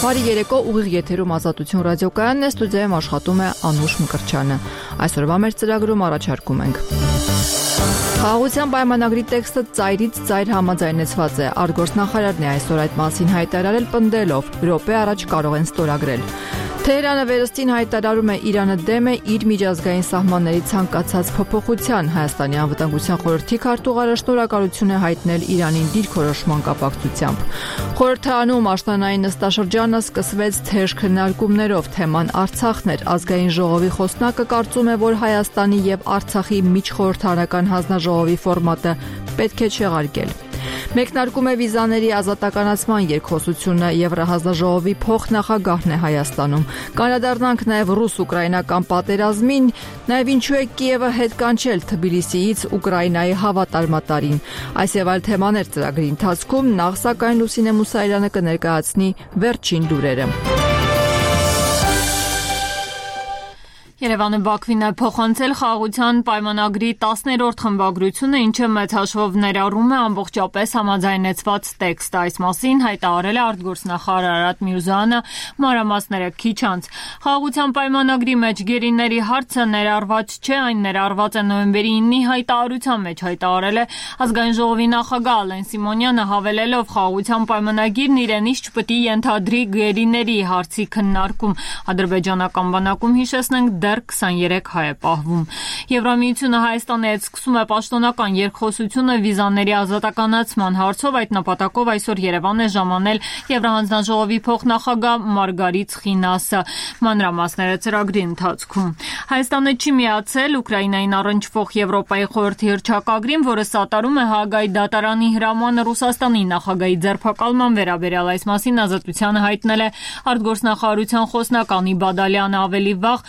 Բարի երեկո, ուղիղ եթերում Ազատություն ռադիոկայանն է, ստուդիայում աշխատում է Անուշ Մկրտչյանը։ Այսօրվա մեր ծրագրում առաջարկում ենք. Խաղաղության պայմանագրի տեքստը ծայրից ծայր համաձայնեցված է։ Արտգործնախարարն է այսօր այդ մասին հայտարարել պնդելով՝ րոպե առաջ կարող են ստորագրել։ Թեհրանը վերստին հայտարարում է Իրանը դեմ է իր միջազգային սահմանների ցանկացած փոփոխության։ Հայաստանի անվտանգության խորհրդի քարտուղարը շնորհակալություն է հայտնել Իրանին դիրքորոշման կապակցությամբ։ Խորհրդարանում աշնանային նստաշրջանը սկսվեց թեժ քննարկումներով։ Թեման Արցախն էր։ Ազգային ժողովի խոսնակը կարծում է, որ Հայաստանի եւ Արցախի միջխորհրդարանական հանձնաժողովի ֆորմատը պետք է չեղարկել։ Մեկնարկում է վիզաների ազատականացման երկխոսությունը Եվրահանձնաժողովի փոխնախագահն է Հայաստանում։ Կանադառնանք նաև ռուս-ուկրաինական պատերազմին, նաև ինչու է Կիևը հետ կանչել Թբիլիսիից Ուկրաինայի հավատարմատարին։ Այս եւ այլ թեմաներ ծրագրի ընթացքում, նախ սակայն Լուսինե Մուսայելյանը կներկայացնի վերջին լուրերը։ Երևանը Բաքվին է փոխանցել խաղաղության պայմանագրի 10-րդ խմբագրությունը, ինչը մեծ հաշվով ներառում է ամբողջապես համաձայնեցված տեքստ։ Այս մասին հայտարարել է արտգործնախարար Արադ Միրզոյանը մանրամասները քիչ անց։ Խաղաղության պայմանագրի մեջ գերիների հարցը ներառված չէ, այն ներառված է նոյեմբերի 9-ի հայտարարության մեջ, հայտարարել է Ազգային ժողովի նախագահ Ալեն Սիմոնյանը, հավելելով խաղաղության պայմանագիրն իրենից չպետք է ենթադրի գերիների հարցի քննարկում։ Ադրբեջանական բանակում հիշեցնենք դեռ 23 հայ է պահվում։ Եվրամիությունը Հայաստանի հետ սկսում է պաշտոնական երկխոսությունը վիզաների ազատականացման հարցով։ Այդ նպատակով այսօր Երևան է ժամանել Եվրահանձնաժողովի փոխնախագահ Մարգարիտ Խինասը։ Մանրամասները ծրագրի ընթացքում։ Հայաստանը չի միացել Ուկրաինային առնչվող Եվրոպայի խորհրդի հռչակագրին, որը սատարում է Հաագայի դատարանի հրամանը Ռուսաստանի նախագահի ձերբակալման վերաբերյալ։ Այս մասին Ազատությանը հայտնել է արտգործնախարարության խոսնակ Անի Բադալյանը։ Ավելի վաղ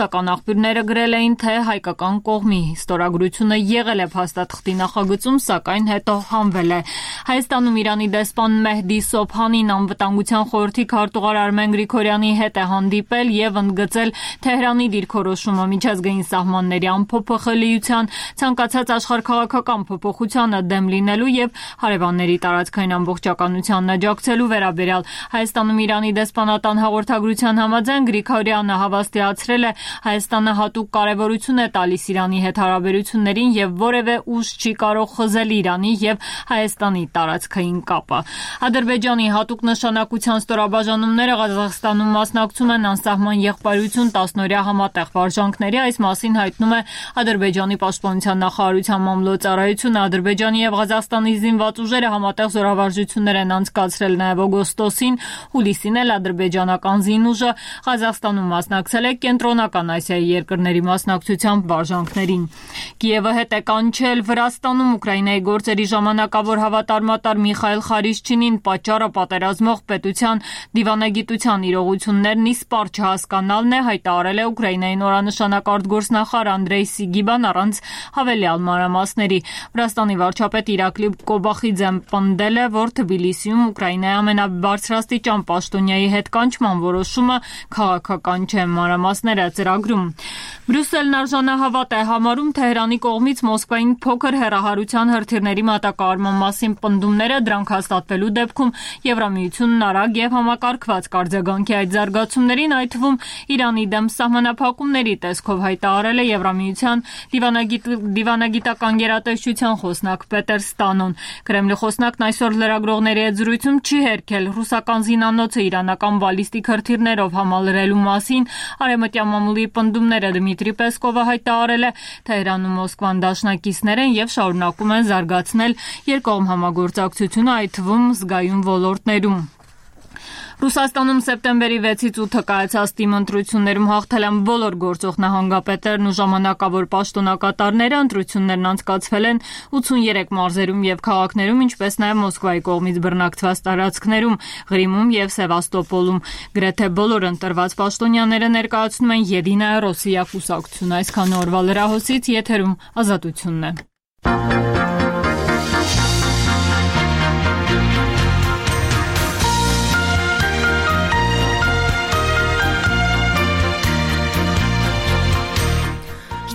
ռուսական աղբյուրները գրել էին, թե հայկական կողմի ստորագրությունը եղել է փաստաթղթի նախագծում, սակայն հետո հանվել է։ Հայաստանում Իրանի դեսպան Մեհդի Սոբհանին անվտանգության խորհրդի քարտուղար Արմեն Գրիգորյանի հետ է հանդիպել եւ ընդգծել Թեհրանի դիրքորոշումը միջազգային սահմանների անփոփոխելիության, ցանկացած աշխարհքաղաքական փոփոխությանը դեմ լինելու եւ հարևանների տարածքային ամբողջականությանն աջակցելու վերաբերյալ։ Հայաստանում Իրանի դեսպանատան հաղորդագրության համաձայն Գրիգորյանը հավաստիացրել է Հայաստանը հատուկ կարևորություն է տալիս Իրանի հետ հարաբերություններին եւ որևէ ուժ չի կարող խզել Իրանի եւ Հայաստանի տարածքային կապը։ Ադրբեջանի հատուկ նշանակության ստորաբաժանումները Ղազախստանում մասնակցում են անսահման եղբայրություն 10-օրյա համատեղ վարժանքների։ Այս մասին հայտնում է Ադրբեջանի պաշտպանության նախարարության մամլոյցարայությունը։ Ադրբեջանի եւ Ղազախստանի զինված ուժերը համատեղ զորավարժություններ են անցկացրել նաեւ օգոստոսին։ Հուլիսին էլ ադրբեջանական զինուժը Ղազախստանում մասնակցել է Կենտրոնական Ասիայի երկրների մասնակցությամբ վարժանքներին։ Կիևը հետ է կանչել Վրաստանում Ուկրաինայի գործերի ժամանակավոր հավատարմատար Միխայել Խարիշչինին, պատճառը պատերազմող պետության դիվանագիտության իրողություններն իսպառ չհասկանալն է, հայտարարել է Ուկրաինայի նորանշանակ արտգործնախարար Անդրեյ Սիգիբան առանց հավելյալ մանրամասների։ Վրաստանի վարչապետ Իրակլի Կոբախիձեն պնդել է, որ Թբիլիսիում Ուկրաինայի ամենաբարձրաստիճան պաշտոնյայի հետ կանչման որոշումը քաղաքական չէ։ Մանրամասները ծրագրում։ Բրյուսելն արժանահավատ է համարում Թեհրանի կողմից Մոսկվային փոքր հեռահարության հրթիռների մատակարարման մասին պնդումները, դրանք հաստատվելու դեպքում Եվրամիությունն արագ եւ համակարգված կարձագանքի այդ զարգացումներին, այդ թվում Իրանի դեմ սահմանափակումների տեսքով, հայտարարել է Եվրամիության դիվանագիտական գերատեսչության խոսնակ Պետեր Ստանոն։ Կրեմլի խոսնակն այսօր լրագրողների հետ զրույցում չի հերքել ռուսական զինանոցը իրանական բալիստիկ հրթիռներով համալրելու մասին։ Արևմտյան մամուլի պնդումները Դմիտրի Պեսկովը հայտարարել է, Թեհրանում Մոսկվան դաշնակիցներ են եւ շարունակում են զարգացնել երկկողմ համագործակցությունը, այդ թվում զգայուն ոլորտներում։ Ռուսաստանում սեպտեմբերի 6-ից 8-ը կայացած թիմ ընտրություններում հաղթել են բոլոր գործող նահանգապետերն ու ժամանակավոր պաշտոնակատարները։ Ընտրություններն անցկացվել են 83 մարզերում եւ քաղաքներում, ինչպես նաեւ Մոսկվայի կողմից բռնակցված տարածքներում, Ղրիմում եւ Սևաստոպոլում։ Գրեթե բոլոր ընտրված պաշտոնյաները ներկայացնում են Եդինայա Ռոսիա կուսակցությունը։ Այսքան օրվա լրահոսից եթերում Ազատությունն է։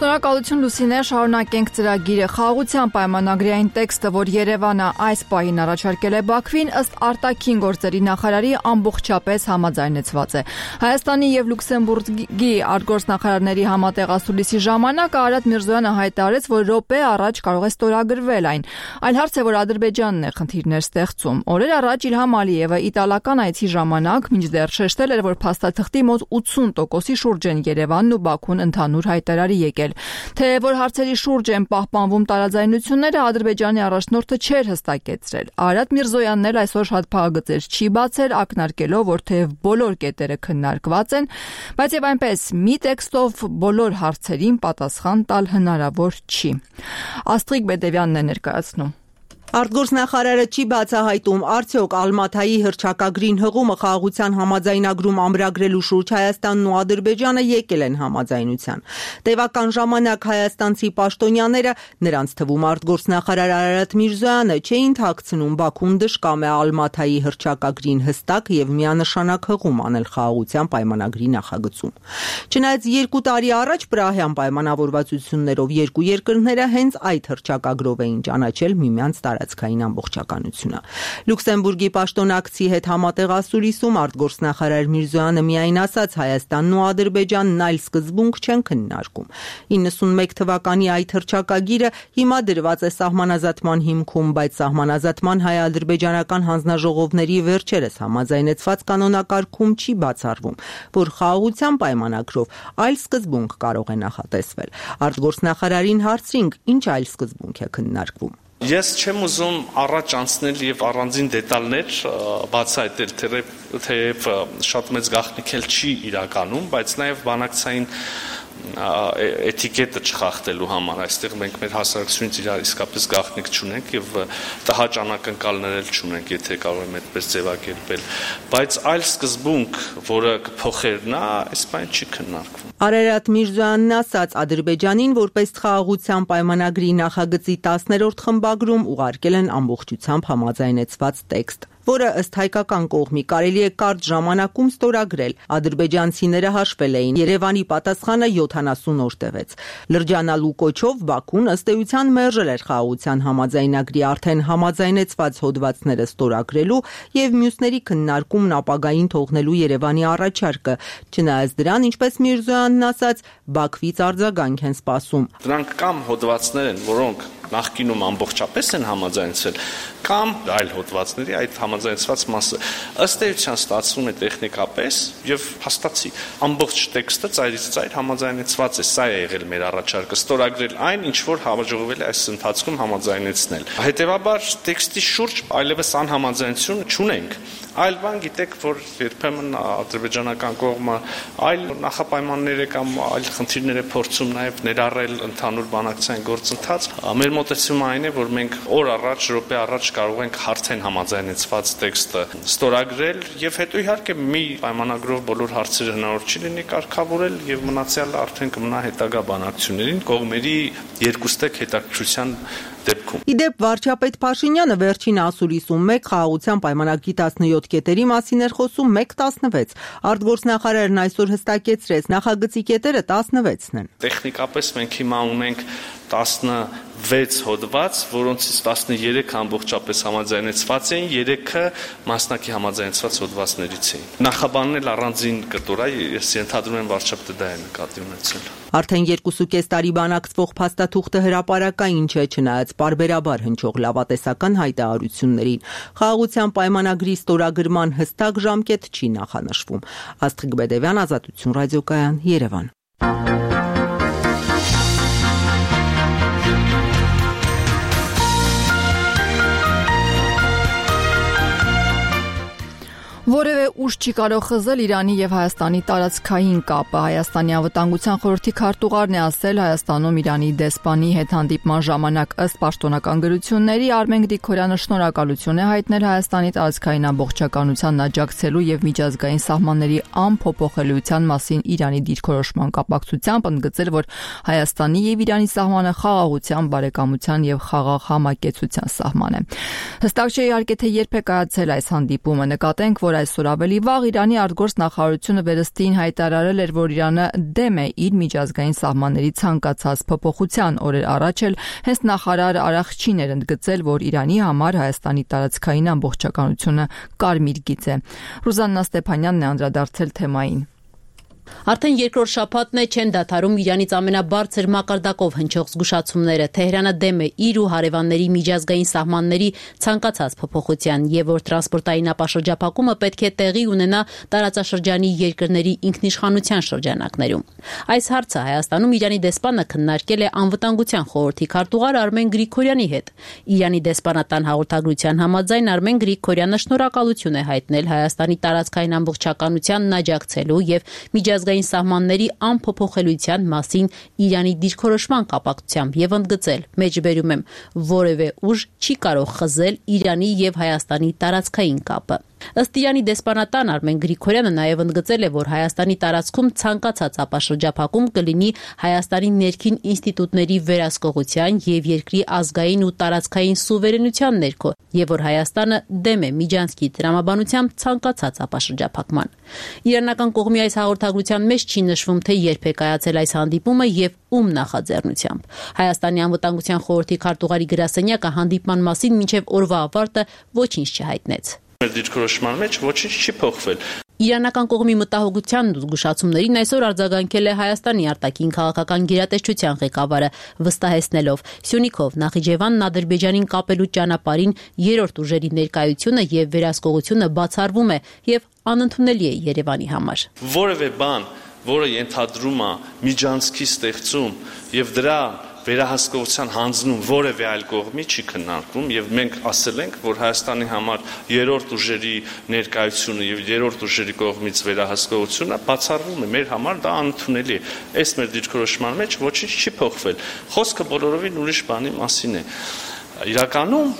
Շնորհակալ Շնորհակալություն Լուսինե, շարունակենք ծրագիրը։ Խաղաղության պայմանագրի այն տեքստը, որ Երևանը այս պահին առաջարկել է Բաքվին, ըստ արտաքին գործերի նախարարի ամբողջապես համաձայնեցված է։ Հայաստանի եւ Լյուքսեմբուրգի արտգործնախարարների համատեղ ասուլիսի ժամանակ Արարատ Միրզոյանը հայտարարեց, որ րոպե առաջ կարող է ստորագրվել այն։ Այլ հարց է, որ Ադրբեջանն է խնդիրներ ստեղծում։ Օրեր առաջ Իլհամ Ալիևը իտալական այցի ժամանակ մինչդեռ շեշտել էր, որ փաստաթղթի մոտ 80%-ի շուրջ են Երևանն ու Բաքուն ընդհանուր հայտարարի եկել։ Թե որ հարցերի շուրջ են պահպանվում տարաձայնությունները, Ադրբեջանի առաջնորդը չէր հստակեցրել։ Արարատ Միրզոյանն էլ այսօր շատ փաղագծեր չի բացել, ակնարկելով, որ թեև բոլոր կետերը քննարկված են, բայց եւ այնպես մի տեքստով բոլոր հարցերին պատասխան տալ հնարավոր չի։ Աստղիկ Բեդևյանն է ներկայացնում։ Արտգործնախարարը չի բացահայտում, արդյոք Ալմաթայի հռչակագրին հղումը խաղաղության համաձայնագրում ամրագրելու շուրջ Հայաստանն ու Ադրբեջանը եկել են համաձայնության։ Տևական ժամանակ հայաստանցի պաշտոնյաները, նրանց թվում արտգործնախարար Արարատ Միրզոյանը, չէին թաքցնում Բաքուն դժկամ է Ալմաթայի հռչակագրին հստակ եւ միանշանակ հղում անել խաղաղության պայմանագրի նախագծում։ Չնայած 2 տարի առաջ Պրահյան պայմանավորվածություններով երկու երկրները հենց այդ հռչակագրով էին ճանաչել միմյանց տարածքային ամբողջականությունը։ Լյուքսեմբուրգի պաշտոնակցի հետ համատեղ ասուլիսում արտգործնախարար Միրզոյանը միայն ասաց Հայաստանն ու Ադրբեջանն այլ սկզբունք չեն քննարկում։ 91 թվականի այդ հռչակագիրը հիմա դրված է սահմանազատման հիմքում, բայց սահմանազատման հայ-ադրբեջանական հանձնաժողովների վերջերս համաձայնեցված կանոնակարգում չի բացառվում, որ խաղաղության պայմանագրով այլ սկզբունք կարող է նախատեսվել։ Արտգործնախարարին հարցրինք, ինչ այլ սկզբունք է քննարկվում։ Ես չեմ ուզում առաջ անցնել եւ առանձին դետալներ բացահայտել, թեև շատ մեծ գաղտնիք էլ չի իրականում, բայց նաեւ բանակցային էտիկետը չխախտելու համար այստեղ մենք մեր հասարակությունից իրար իսկապես գաղտնիք չունենք եւ տհաճ անակնկալներ էլ չունենք, եթե կարող եմ այդպես ձևակերպել, բայց այլ սկզբունք, որը կփոխեր նա, այս բան չի քննարկվում։ Արարատ Միրզոյանն ասաց Ադրբեջանին, որպես խաղաղության պայմանագրի նախագծի 10-րդ խմբագրում ուղարկել են ամբողջությամբ համաձայնեցված տեքստ, որը ըստ հայկական կողմի կարելի է կարճ ժամանակում ստորագրել։ Ադրբեջանցիները հաշվել էին, Երևանի պատասխանը 70 օր տևեց։ Լրջանալու կոչով Բաքուն ըստ էության մերժել էր խաղաղության համաձայնագրի արդեն համաձայնեցված հոդվածները ստորագրելու եւ մյուսների քննարկումն ապագային թողնելու Երևանի առաջարկը, չնայած դրան, ինչպես Միրզոյանն ասաց, Բաքվից արձագանք են սպասում։ Դրանք կամ հոդվածներ են, որոնք նախկինում ամբողջապես են համաձայնցել, կամ այլ հոդվածների այդ համաձայնեցված մասը ըստ էության ստացվում է տեխնիկապես եւ հաստատի ամբողջ տեքստը ծայրից ծայր համաձայնեցված է, սա է եղել մեր առաջարկը, ստորագրել այն, ինչ որ հավաքվել է այս ընթացքում համաձայնեցնել։ Հետևաբար տեքստի շուրջ այլևս անհամաձայնություն չունենք։ Այլ բան գիտեք, որ երբեմն ադրբեջանական կողմը այլ նախապայմաններ է կամ այլ խնդիրներ է փորձում նաև ներառել ընդհանուր բանակցային գործընթաց։ Մեր մոտեցումը այն է, որ մենք օր առաջ, րոպե առաջ կարող ենք արդեն համաձայնեցված տեքստը ստորագրել եւ հետո իհարկե մի պայմանագրով բոլոր հարցերը հնարավոր չի լինի կարգավորել եւ մնացյալը արդեն կմնա հետագա բանակցություններին կողմերի երկուստեք հետաքրքրության դեպքում։ Իդեպ վարչապետ Փաշինյանը վերջին ասուլիսում 1 խաղաղության պայմանագրի 17 կետերի մասին էր խոսում 1-16։ Արտգործնախարարն այսօր հստակեցրեց, նախագծի կետերը 16-ն են։ Տեխնիկապես մենք հիմա ունենք 16 հոդված, որոնցից 13 ամբողջապես համաձայնեցված էին, 3-ը մասնակի համաձայնեցված հոդվածներից էին։ Նախաբանն էլ առանձին կտոր է, ես ենթադրում եմ վարչապետը դա է նկատի ունեցել։ Արդեն 2.5 տարի բանակցվող փաստաթուղթը հրապարակային չէ, չնայած պարբերաբար հնչող լավատեսական հայտարարություններին։ Խաղաղության պայմանագրի ստորագրման հստակ ժամկետ չի նախանշվում։ Աստղիկ Բեդևյան, Ազատություն ռադիոկայան, Երևան։ Որևէ ուժ չի կարող խզել Իրանի եւ Հայաստանի տարածքային կապը։ Հայաստանի անվտանգության խորհրդի քարտուղարն է ասել Հայաստանում Իրանի դեսպանի հետ հանդիպման ժամանակ ըստ պաշտոնական գրությունների Արմեն Գրիգորյանը շնորհակալություն է հայտնել Հայաստանի տարածքային ամբողջականությանն աջակցելու եւ միջազգային սահմանների անփոփոխելիության մասին Իրանի դիրքորոշման կապակցությամբ, ընդգծել, որ Հայաստանի եւ Իրանի սահմանը խաղաղության, բարեկամության եւ խաղաղ համակեցության սահման է։ Հստակ չէ իհարկե թե երբ է կայացել այս հանդիպումը։ Նկատենք, որ այսօր ավելի վաղ Իրանի արտգործնախարարությունը վերստին հայտարարել էր, որ Իրանը դեմ է իր միջազգային սահմանների ցանկացած փոփոխության։ Օրեր առաջ էլ հենց նախարար Արախչին էր ընդգծել, որ Իրանի համար Հայաստանի տարածքային ամբողջականությունը կարմիր գիծ է։ Ռուզաննա Ստեփանյանն է անդրադարձել թեմային։ Արդեն երկրորդ շաբաթն է չեն դադարում Իրանից ամենաբարձր մակարդակով հնչող զգուշացումները։ Թեհրանը դեմ է իր ու հարևանների միջազգային սահմանների ցանկացած փոփոխության եւ որ տրանսպորտային ապաշրջափակումը պետք է տեղի ունենա տարածաշրջանի երկրների ինքնիշխանության շրջանակներում։ Այս հարցը Հայաստանում Իրանի դեսպանը քննարկել է անվտանգության խորհրդի քարտուղար Արմեն Գրիգորյանի հետ։ Իրանի դեսպանատան հաղորդագրության համաձայն Արմեն Գրիգորյանը շնորհակալություն է հայտնել Հայաստանի տարածքային ամբողջականությանն աջակցելու եւ միջազգային սահմանների անփոփոխելիության մասին Իրանի դիրքորոշման կապակցությամբ եւ ընդգծել. մեջբերում եմ, որևէ ուժ չի կարող խզել Իրանի եւ Հայաստանի տարածքային կապը։ Ըստ Իրանի դեսպանատան Արմեն Գրիգորյանը նաև ընդգծել է, որ Հայաստանի տարածքում ցանկացած ապաշրջափակում կլինի Հայաստանի ներքին ինստիտուտների վերահսկողության եւ երկրի ազգային ու տարածքային սուվերենության ներքո, եւ որ Հայաստանը դեմ է Միջանցքի տրամաբանությամբ ցանկացած ապաշրջափակման։ Իրանական կողմի այս հաղորդագրության մեջ չի նշվում, թե երբ է կայացել այս հանդիպումը եւ ում նախաձեռնությամբ։ Հայաստանի անվտանգության խորհրդի քարտուղարի գրասենյակը հանդիպման մասին մինչեւ օրվա ավարտը ոչինչ չհայտնեց։ Դիրքորոշման մեջ ոչինչ չի փոխվել։ Իրանական կողմի մտահոգությանն ու զգուշացումներին այսօր արձագանքել է Հայաստանի արտաքին քաղաքական գերատեսչության ղեկավարը, վստահեցնելով Սյունիքով Նախիջևանն Ադրբեջանին կապելու ճանապարհին երրորդ ուժերի ներկայությունը եւ վերահսկողությունը բացառվում է եւ անընդունելի է Երևանի համար։ Որևէ բան, որը ենթադրում է միջանցքի ստեղծում եւ դրա վերահսկողության հանձնում որևէ այլ կողմի չի քննարկվում եւ մենք ասել ենք, որ Հայաստանի համար երրորդ ուժերի ներկայությունը եւ երրորդ ուժերի կողմից վերահսկողությունը բացառվում է, մեր համար դա անընդունելի է։ Այս մեր դիրքորոշման մեջ ոչինչ չի փոխվել։ Խոսքը բոլորովին ուրիշ բանի մասին է։ Իրականում,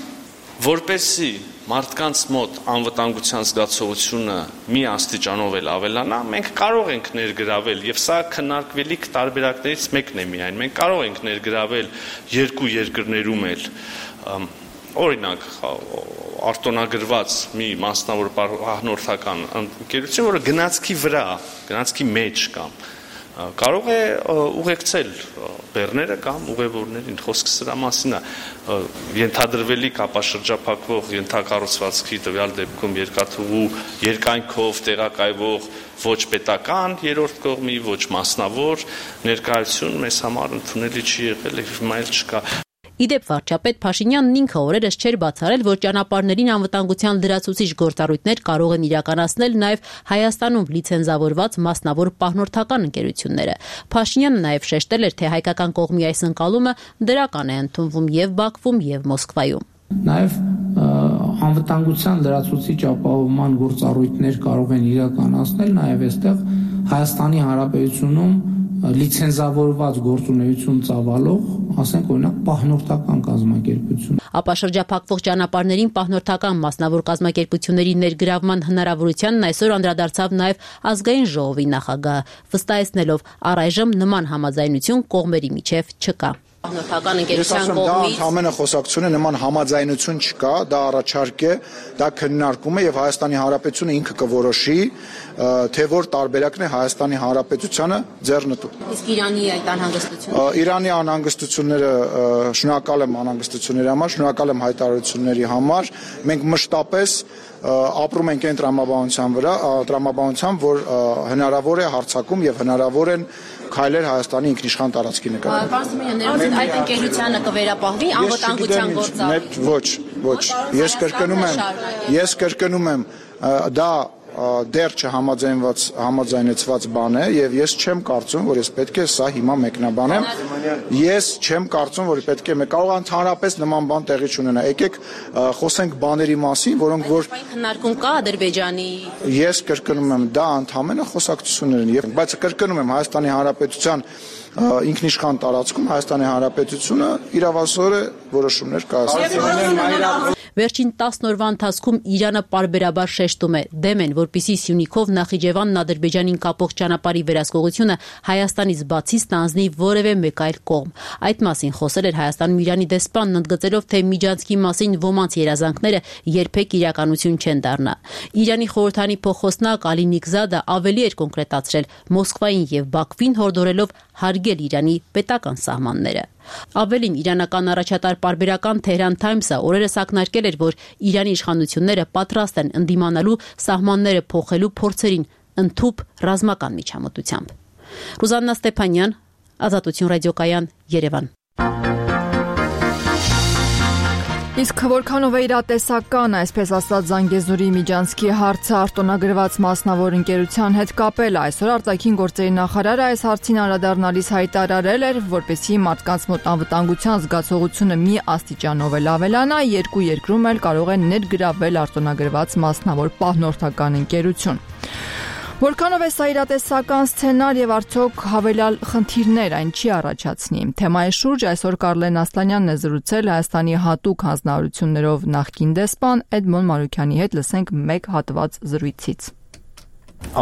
որպեսզի մարդկանց մոտ անվտանգության զգացողությունը մի աստիճանով էլ ավելանա, մենք կարող ենք ներգրավել, եւ սա քննարկվելիք տարբերակներից մեկն է միայն, մենք կարող ենք ներգրավել երկու երկրներում էլ, օրինակ, արտոնագրված մի մասնավոր պահնորդական ընկերություն, որը գնացքի վրա, գնացքի մեջ կամ կարող է ուղեկցել բեռները կամ ուղևորներին, խոսքը սրա մասին է, ենթադրվելիք ապաշրջափակվող ենթակառուցվածքի տվյալ դեպքում երկաթուղու երկայնքով տեղակայվող ոչ պետական երրորդ կողմի, ոչ մասնավոր ներկայություն մեզ համար ընդունելի չի եղել եւ հիմա էլ չկա։ Իդեպ վարչապետ Փաշինյանն ինքը օրերս չէր բացառել, որ ճանապարհներին անվտանգության լրացուցիչ գործառույթներ կարող են իրականացնել նաև Հայաստանում լիցենզավորված մասնավոր պահնորդական ընկերությունները։ Փաշինյանը նաև շեշտել էր, թե հայկական կողմի այս ընկալումը դրական է ընդունվում եւ Բաքվում եւ Մոսկվայում։ Նաև անվտանգության լրացուցիչ ապահովման գործառույթներ կարող են իրականացնել նաև այստեղ Հայաստանի Հանրապետությունում լիցենզավորված գործունեություն ծավալող, ասենք օրինակ պահնորդական կազմակերպություն։ Ապաշրջափակվող ճանապարհներին պահնորդական մասնավոր կազմակերպությունների ներգրավման հնարավորությանն այսօր անդրադարձավ նաև ազգային ժողովի նախագահը, վստահեցնելով առայժմ նման համաձայնություն կողմերի միջև չկա։ Պահնորդական ընկերության կողմից ամենը խոսակցությունը նման համաձայնություն չկա, դա առաջարկ է, դա քննարկում է եւ Հայաստանի Հանրապետությունը ինքը կորոշի, թե որ տարբերակն է Հայաստանի Հանրապետությանը ձեռնտու։ Իսկ Իրանի այդ անհանգստությունը։ Իրանի անհանգստությունները, շնորհակալ եմ անհանգստությունների համար, շնորհակալ եմ հայտարարությունների համար։ Մենք մշտապես ապրում ենք այն տրամաբանությամբ, որ հնարավոր է հարձակում եւ հնարավոր են քայլեր Հայաստանի ինքնիշխան տարածքի նկատմամբ։ Պարոն Սիմոնյան, այդ ընկերությանը կվերապահվի անվտանգության գործառույթ։ Ոչ, ես կրկնում եմ, դա դեռ չհամաձայնեցված բան է եւ ես չեմ կարծում, որ ես պետք է սա հիմա մեկնաբանեմ։ Ես չեմ կարծում, որ պետք է կարող ընդհանրապես նման բան տեղի չունենա։ Եկեք խոսենք բաների մասին, որոնք որ քննարկում կա Ադրբեջանի։ Ես կրկնում եմ, դա ընդհանրապես խոսակցություններ են, բայց կրկնում եմ Հայաստանի Հանրապետության ինքնիշխան տարածքում Հայաստանի Հանրապետությունը իրավասոր է որոշումներ կայացնում։ Վերջին 10 օրվա ընթացքում Իրանը պարբերաբար շեշտում է դեմ են, որպիսի Սյունիքով Նախիջևանն Ադրբեջանին կապող ճանապարհի վերահսկողությունը Հայաստանից բացի ստանձնի որևէ մեկ այլ կողմ։ Այդ մասին խոսել էր Հայաստանում Իրանի դեսպանն, ընդգծելով, թե միջանցքի մասին ոմանց երազանքները երբեք իրականություն չեն դառնա։ Իրանի խորհրդանի փոխոսնակ Ալի Նիգզադը ավելի էր կոնկրետացրել Մոսկվային եւ Բաքվին հորդորելով հարգել Իրանի պետական սահմանները։ Ավելին, իրանական առաջատար պարբերական Թեհրան Թայմսը օրերս ակնարկել էր, որ Իրանի իշխանությունները պատրաստ են ընդդիմանալու սահմանները փոխելու փորձերին ընդհուպ ռազմական միջամտությամբ։ Ռուզաննա Ստեփանյան, Ազատություն ռադիոկայան, Երևան։ Իսկ որքանով է իրատեսական, այսպես ասած, Զանգեզուրի միջանցքի հարցը արտոնագրված մասնավոր ընկերության հետ կապել, այսօր արտաքին գործերի նախարարը այս հարցին անդրադառնալիս հայտարարել էր, որպեսզի մարդկանց մոտ անվտանգության զգացողությունը մի աստիճանով էլ ավելանա, երկու երկրում էլ կարող է ներգրավել արտոնագրված մասնավոր պահնորդական ընկերություն։ Որքանով է սա իրատեսական սցենար եւ արդյոք հավելյալ խնդիրներ այն չի առաջացնի։ Թեմայի շուրջ այսօր Կարլեն Ասլանյանն է զրուցել Հայաստանի հատուկ հանձնարարություններով նախկին դեսպան Էդմոն Մանուկյանի հետ, լսենք մեկ հատված զրույցից։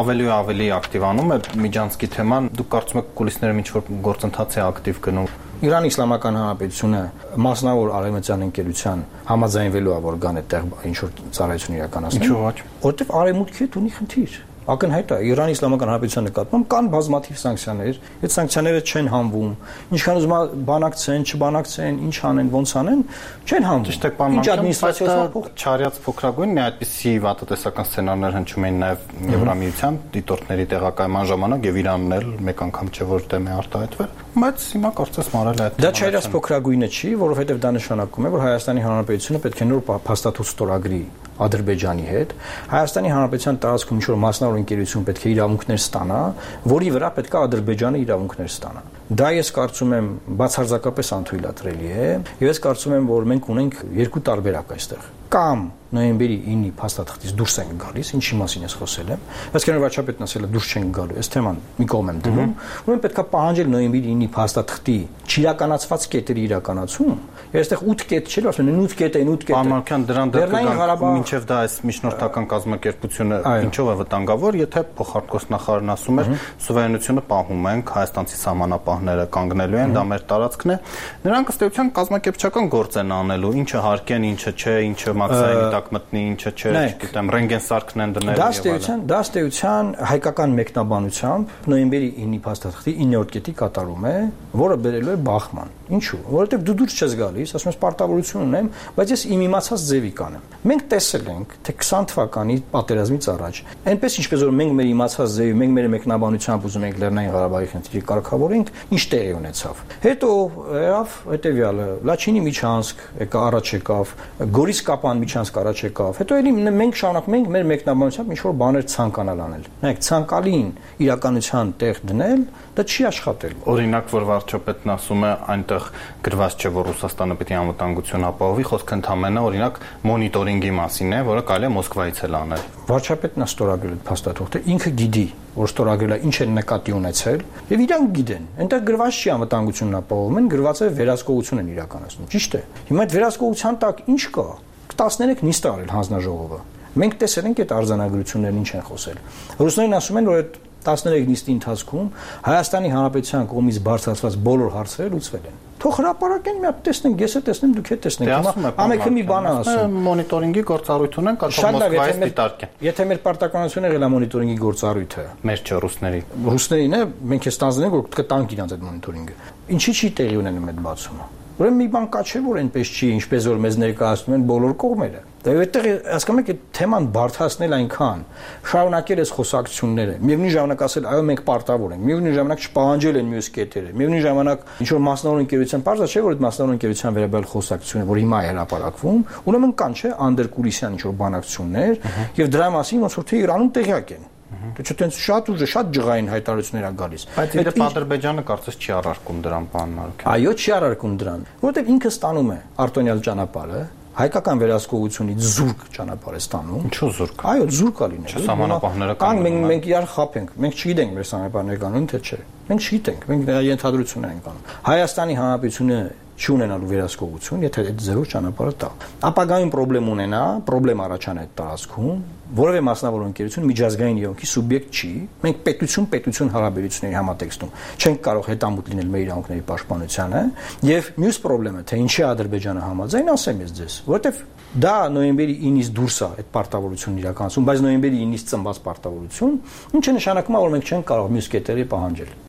Ավելի ու ավելի ակտիվանում է միջանցքի թեման, դուք կարծում եք կուլիսներում ինչ-որ գործընթաց է ակտիվ գնում։ Իրանի Իսլամական Հանրապետությունը մասնավոր արևմտյան ընկերության համաձայնվելու է, որ գան այդտեղ ինչ-որ ծառայություն իրականացնի։ Ինչու՞ ոչ։ Որտեվ արևմուտքի հետ ունի խնդիր։ Ակնհայտ է, Իրանի Իսլամական Հանրապետության նկատմամբ կան բազմաթիվ սանկցիաներ, այդ սանկցիաները չեն հանվում, ինչքան ուզում բանակցեն, չբանակցեն, ինչ անեն, ոնց անեն, չեն հանվում։ Ճիշտ է, պարոն Մանուկյան, չարյաց փոքրագույն մի այդպիսի վատատեսական սցենարներ հնչում էին նաև Եվրամիության դիտորդների տեղակայման ժամանակ եւ Իրանն էլ մեկ անգամ չէ որ դեմ է արտահայտվել, բայց հիմա կարծես մարել է այդ։ Դա չարյաց փոքրագույնը չի, որովհետեւ դա նշանակում է, որ Հայաստանի Հանրապետությունը պետք է նոր փաստաթուղթ ստորագրի Ադրբեջանի հետ, Հայաստանի Հանրապետության տարածքում ինչ-որ մասնավոր ընկերություն պետք է իրավունքներ ստանա, որի վրա պետք է Ադրբեջանը իրավունքներ ստանա։ Դա ես կարծում եմ բացարձակապես անթույլատրելի է, եւ ես կարծում եմ, որ մենք ունենք երկու տարբերակ այստեղ։ Կամ նոյեմբերի 9-ի փաստաթղթից դուրս ենք գալիս, ինչի մասին ես խոսել եմ, բայց քանի որ վարչապետն ասել է դուրս չենք գալու, այս թեման մի կողմ եմ դնում, ուրեմն պետք է պահանջել նոյեմբերի 9-ի փաստաթղթի չիրականացված կետերի իրականացում, եւ այստեղ 8 կետ չէ, ասում են 8 կետ են, 8 կետ։ Պարոն դրան դեպքում մինչեւ դա այս միջնորդական կազմակերպությունը ինչով է վտանգավոր, եթե փոխարտգործնախարարն ասում էր սուվերենությունը պահում ենք, հայաստանցի սահմանապահները կանգնելու են, դա մեր տարածքն է, նրանք ըստ էության կազմակերպչական գործ են անելու, ինչը հարկեն, ինչը չէ, ինչը մաքսային տակ մտնի, ինչը չէ, չգիտեմ, ռենտգեն սարքն են դնել եւ այլն։ Դա ըստ էության հայկական մեկնաբանությամբ նոյեմբերի 9-ի փաստաթղթի 9-րդ կետի կատարում է, որը բերելու է բախման։ Ինչու՞։ Որովհետեւ դու դուրս չես գալիս, ասում ես պարտավորություն ունեմ, բայց ես իմ իմացած ձևի կանեմ։ Մենք տեսել ենք, թե 20 թվականի պատերազմից առաջ, այնպես ինչպես որ մենք մեր իմացած ձևի, մենք մեր մեկնաբանությամբ ուզում ենք Լեռնային Ղարաբաղի խնդիրը կարգավորենք, ինչ տեղի ունեցավ։ Հետո եղավ հետեւյալը, Լաչինի միջանցք առաջ եկավ, Գորիս Կապան միջանցք առաջ եկավ։ Հետո էլի մենք շարունակում ենք մեր մեկնաբանությամբ ինչ-որ բաներ ցանկանալ անել։ Նայեք, ցանկալին իրականության տեղ դնել, դա չի աշխատել։ Օրինակ, որ վարչապետն ասում է, այնտեղ գրված չէ, որ Ռուսաստանը պետք է անվտանգություն ապահովի, խոսքը ընդհանրապես օրինակ մոնիտորինգի մասին է, որը կարելի է Մոսկվայից էլ անել։ Վարչապետն է ստորագրել այդ փաստաթուղթը, ինքը գիտի, որ ստորագրել է, ինչ են նկատի ունեցել, եւ իրանք գիտեն։ Այնտեղ գրված չի անվտանգությունն ապահովում են, գրված է վերահսկողություն են իրականացնում։ Ճիշտ է։ Հիմա այդ վերահսկողության տակ ինչ կա։ 13 նիստ է արել հանձնաժողովը։ Մենք տեսել ենք այդ արձանագրություններն ինչ են խոսել։ Ռուսներն ասում են, որ այդ 13 նիստի ընթացքում Հայաստանի Հանրապետության կողմից բարձրացված բոլոր հարցերը լուծվել են։ Թող հրապարակեն, մի հատ տեսնենք, ես է տեսնեմ, դուք եք տեսնենք։ Հիմա ամենքը մի բան ասում։ Մոնիտորինգի գործառույթ ունեն, կարող Մոսկվայից դիտարկեն։ Եթե մեր պարտականությունը եղել է մոնիտորինգի գործառույթը, մեր չէ ռուսների։ Ռուսներին է, մենք է ստանձնենք, որ կտանք իրանց այդ մոնիտորինգը։ Ինչի՞ չի տեղի ունենում այդ բացումը։ Ուրեմն մի բան կա չէ, որ այնպես չի, ինչպես որ մեզ ներկայացնում են բոլոր կողմերը։ Դա այդտեղ հասկանում եք, այդ թեման բարդացնել այնքան, շարունակել այս խոսակցությունները, միևնույն ժամանակ ասել, այո, մենք պարտավոր ենք, միևնույն ժամանակ չպահանջել են մյուս կետերը, միևնույն ժամանակ ինչ որ մասնավոր ընկերության բարձր չէ, որ այդ մասնավոր ընկերության վերաբերյալ խոսակցությունը, որ հիմա է հրապարակվում, ուրեմն կան չէ, անդերկուլիսյան ինչ որ բանակցություններ, եւ դրա մասին ոնց որ թե Իրանում տեղյակ են։ Դե չտենց շատ ուժը, շատ ջղային հայտարարություններ ա գալիս։ Բայց իդեպ Ադրբեջանը կարծես չի առարկում դրան, պարոն Մանուկյան։ Այո, չի առարկում դրան, որովհետև ինքը ստանում է արտոնյալ ճանապարհը, հայկական վերահսկողությունից զուրկ ճանապարհ է ստանում։ Ինչու զուրկ։ Այո, զուրկ է լինել։ Սահմանապահները կան, մենք իրար խափենք։ Մենք չգիտենք մեր սահմանապահները կանոն թե չէ։ Մենք չգիտենք, մենք դրա ենթադրություններ ենք անում։ Հայաստանի Հանրապետությունը չունենալու վերահսկողություն, եթե այդ զերո ճանապարհը տա։ Ապագայում պրոբլեմ առաջանա այդ տարածքում, որևէ մասնավոր ընկերություն միջազգային իրավունքի սուբյեկտ չի։ Մենք պետություն հարաբերությունների համատեքստում չենք կարող հետամուտ լինել մեր իրավունքների պաշտպանությանը, եւ մյուս պրոբլեմը, թե ինչի Ադրբեջանը համաձայն, ասեմ ես ձեզ, որովհետեւ դա նոյեմբերի 9-ից դուրս է այդ պարտավորությունն իրականացում, բայց նոյեմբերի 9-ից ծնված պարտավորություն, ինչը նշանակում է, որ մենք չենք կարող մյուս կետերի պահանջել։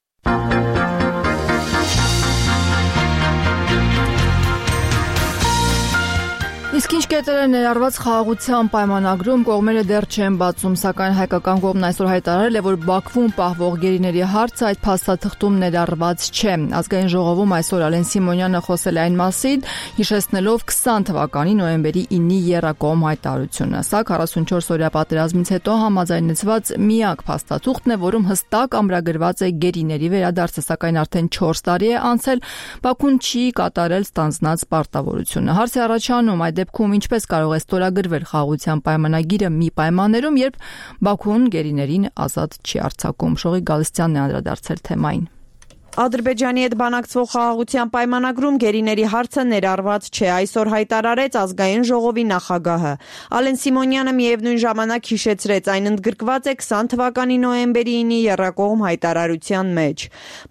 Իսկ ինչ կետեր է ներառված խաղաղության պայմանագրում, կողմերը դեռ չեն բացում, սակայն հայկական կողմն այսօր հայտարարել է, որ Բաքվում պահվող գերիների հարցը այդ փաստաթղթում ներառված չէ։ Ազգային ժողովում այսօր Ալեն Սիմոնյանը խոսել է այն մասին, հիշեցնելով 20 թվականի նոյեմբերի 9-ի եռակողմ հայտարարությունը։ Սա 44-օրյա պատերազմից հետո համաձայնեցված միակ փաստաթուղթն է, որում հստակ ամրագրված է գերիների վերադարձը, սակայն արդեն 4 տարի է անցել, Բաքուն չի կատարել ստանձնած պարտավորությունը։ Հարց է առաջանում, այդ դեպքում ինչպես կարող է ստորագրվել խաղաղության պայմանագիրը մի պայմաններում, երբ Բաքուն գերիներին ազատ չի արձակում։ Շողիկ Գալստյանն է անդրադարձել թեմային։ Ադրբեջանի հետ բանակցվող խաղաղության պայմանագրում գերիների հարցը ներառված չէ, այսօր հայտարարեց ազգային ժողովի նախագահը։ Ալեն Սիմոնյանը միևնույն ժամանակ հիշեցրեց, այն ընդգրկված է 20 թվականի նոյեմբերի 9-ի եռակողմ հայտարարության մեջ։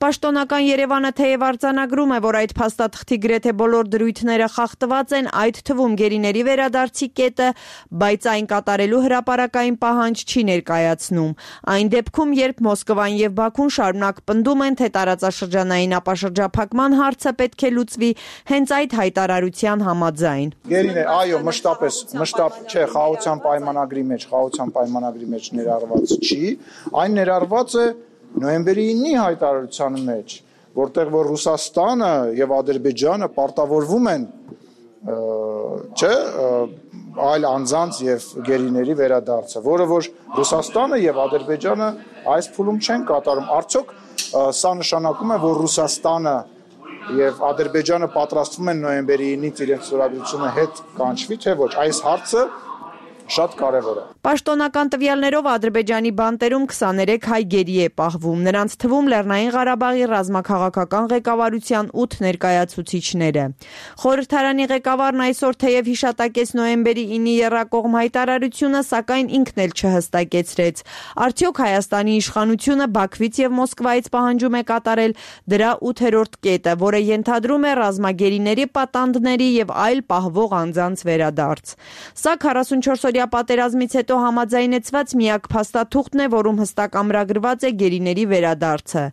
Պաշտոնական Երևանը թեև արձանագրում է, որ այդ փաստաթղթի գրեթե բոլոր դրույթները խախտված են, այդ թվում գերիների վերադարձի կետը, բայց այն կատարելու հրապարակային պահանջ չի ներկայացնում։ Այն դեպքում, երբ Մոսկվան եւ Բաքուն շարունակ պնդում են, թե տարածաշրջանային ապաշրջափակման հարցը պետք է լուծվի հենց այդ հայտարարության համաձայն։ Գերիներ, այո, մշտապ չէ, խաղաղության պայմանագրի մեջ ներառված չի, այն ներառված է նոյեմբերի 9-ի հայտարարության մեջ, որտեղ որ Ռուսաստանը եւ Ադրբեջանը պարտավորվում են այլ անձանց եւ գերիների վերադարձը, որը որ Ռուսաստանը եւ Ադրբեջանը այս փուլում չեն կատարում։ Արդյոք սա նշանակում է, որ Ռուսաստանը եւ Ադրբեջանը պատրաստվում են նոյեմբերի 9-ից իրենց ստորագրությունը հետ կանչվի, թե ոչ, այս հարցը շատ կարևոր է։ Պաշտոնական տվյալներով Ադրբեջանի բանտերում 23 հայ գերի է պահվում, նրանց թվում Լեռնային Ղարաբաղի ռազմաքաղաքական ղեկավարության 8 ներկայացուցիչները։ Խորհրդարանի ղեկավարն այսօր թեև հիշատակեց նոյեմբերի 9-ի եռակողմ հայտարարությունը, սակայն ինքն էլ չհստակեցրեց։ Արդյոք Հայաստանի իշխանությունը Բաքվից եւ Մոսկվայից պահանջում է կատարել դրա 8-րդ կետը, որը ենթադրում է ռազմագերիների պատանդների եւ այլ պահվող անձանց վերադարձ։ Սա 44-օրյա պատերազմից հետո համաձայնեցված միակ փաստաթուղթն է, որում հստակ ամրագրված է գերիների վերադարձը։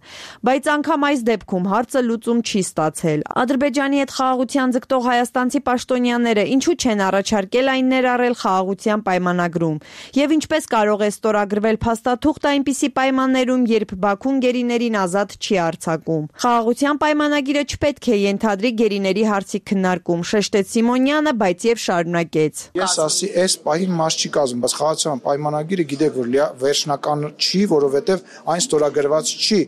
Բայց անգամ այս դեպքում հարցը լուծում չի ստացել։ Ադրբեջանի հետ խաղաղության ձգտող հայաստանցի պաշտոնյաները ինչու չեն առաջարկել այն ներառել խաղաղության պայմանագրում, եւ ինչպես կարող է ստորագրվել փաստաթուղթ այնպիսի պայմաններում, երբ Բաքուն գերիներին ազատ չի արձակում։ Խաղաղության պայմանագիրը չպետք է ենթադրի գերիների հարցի քննարկում, շեշտեց Սիմոնյանը, բայց եւ շարունակեց։ Ես ասի, այս պահին մաս չի կազմում, բայց խաղաղության պայմանագիրը գիտեք, որ վերջնական չի, որովհետև այն ստորագրված չի,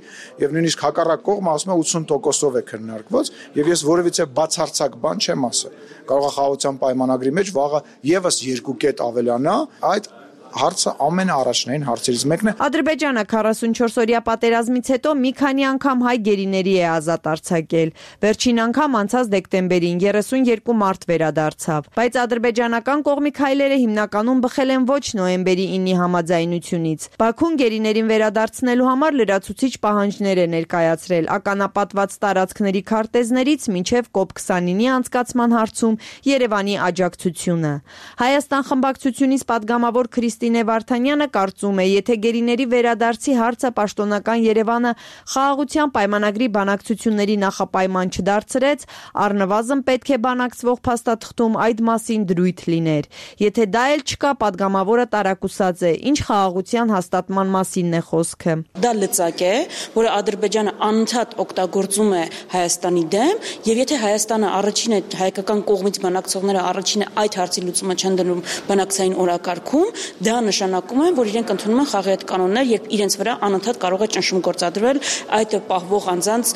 եւ նույնիսկ հակառակ կողմը ասում է 80%-ով է քննարկված, եւ ես որևիցե բացարձակ բան չեմ ասել։ Կարող է խաղաղության պայմանագրի մեջ վաղը եւս 2 կետ ավելանա, այդ հարցը ամենաառաջնային հարցերից մեկն է։ Ադրբեջանը 44-օրյա պատերազմից հետո մի քանի անգամ հայ գերիների է ազատ արձակել։ Վերջին անգամ անցած դեկտեմբերին 32 մարդ վերադարձավ, բայց ադրբեջանական կողմի քայլերը հիմնականում բխել են ոչ նոյեմբերի 9-ի համաձայնությունից։ Բաքուն գերիներին վերադարձնելու համար լրացուցիչ պահանջներ է ներկայացրել ականապատված տարածքների քարտեզներից մինչև COP29-ի անցկացման հարցում Երևանի աջակցությունը։ Հայաստան խմբակցությունից падգամավոր Քրիստինե Վարդանյանը կարծում է, եթե գերիների վերադարձի հարցը պաշտոնական Երևանը խաղաղության պայմանագրի բանակցությունների նախապայման չդարձրեց, առնվազն պետք է բանակցվող փաստաթղթում այդ մասին դրույթ լիներ։ Եթե դա էլ չկա, падգամավորը տարակուսած է, ինչ խաղաղության հաստատման մասինն է խոսքը։ Դա լծակ է, որը Ադրբեջանը անընդհատ օգտագործում է Հայաստանի դեմ, եւ եթե Հայաստանը առաջին է, հայկական կողմից բանակցողները առաջինը այդ հարցի լուծումը չեն դնում բանակցային օրակարգում, դա նշանակում է, որ իրենք ընդունում են խաղի այդ կանոններ, երբ իրենց վրա անընդհատ կարող է ճնշում գործադրվել այդ պահվող անձանց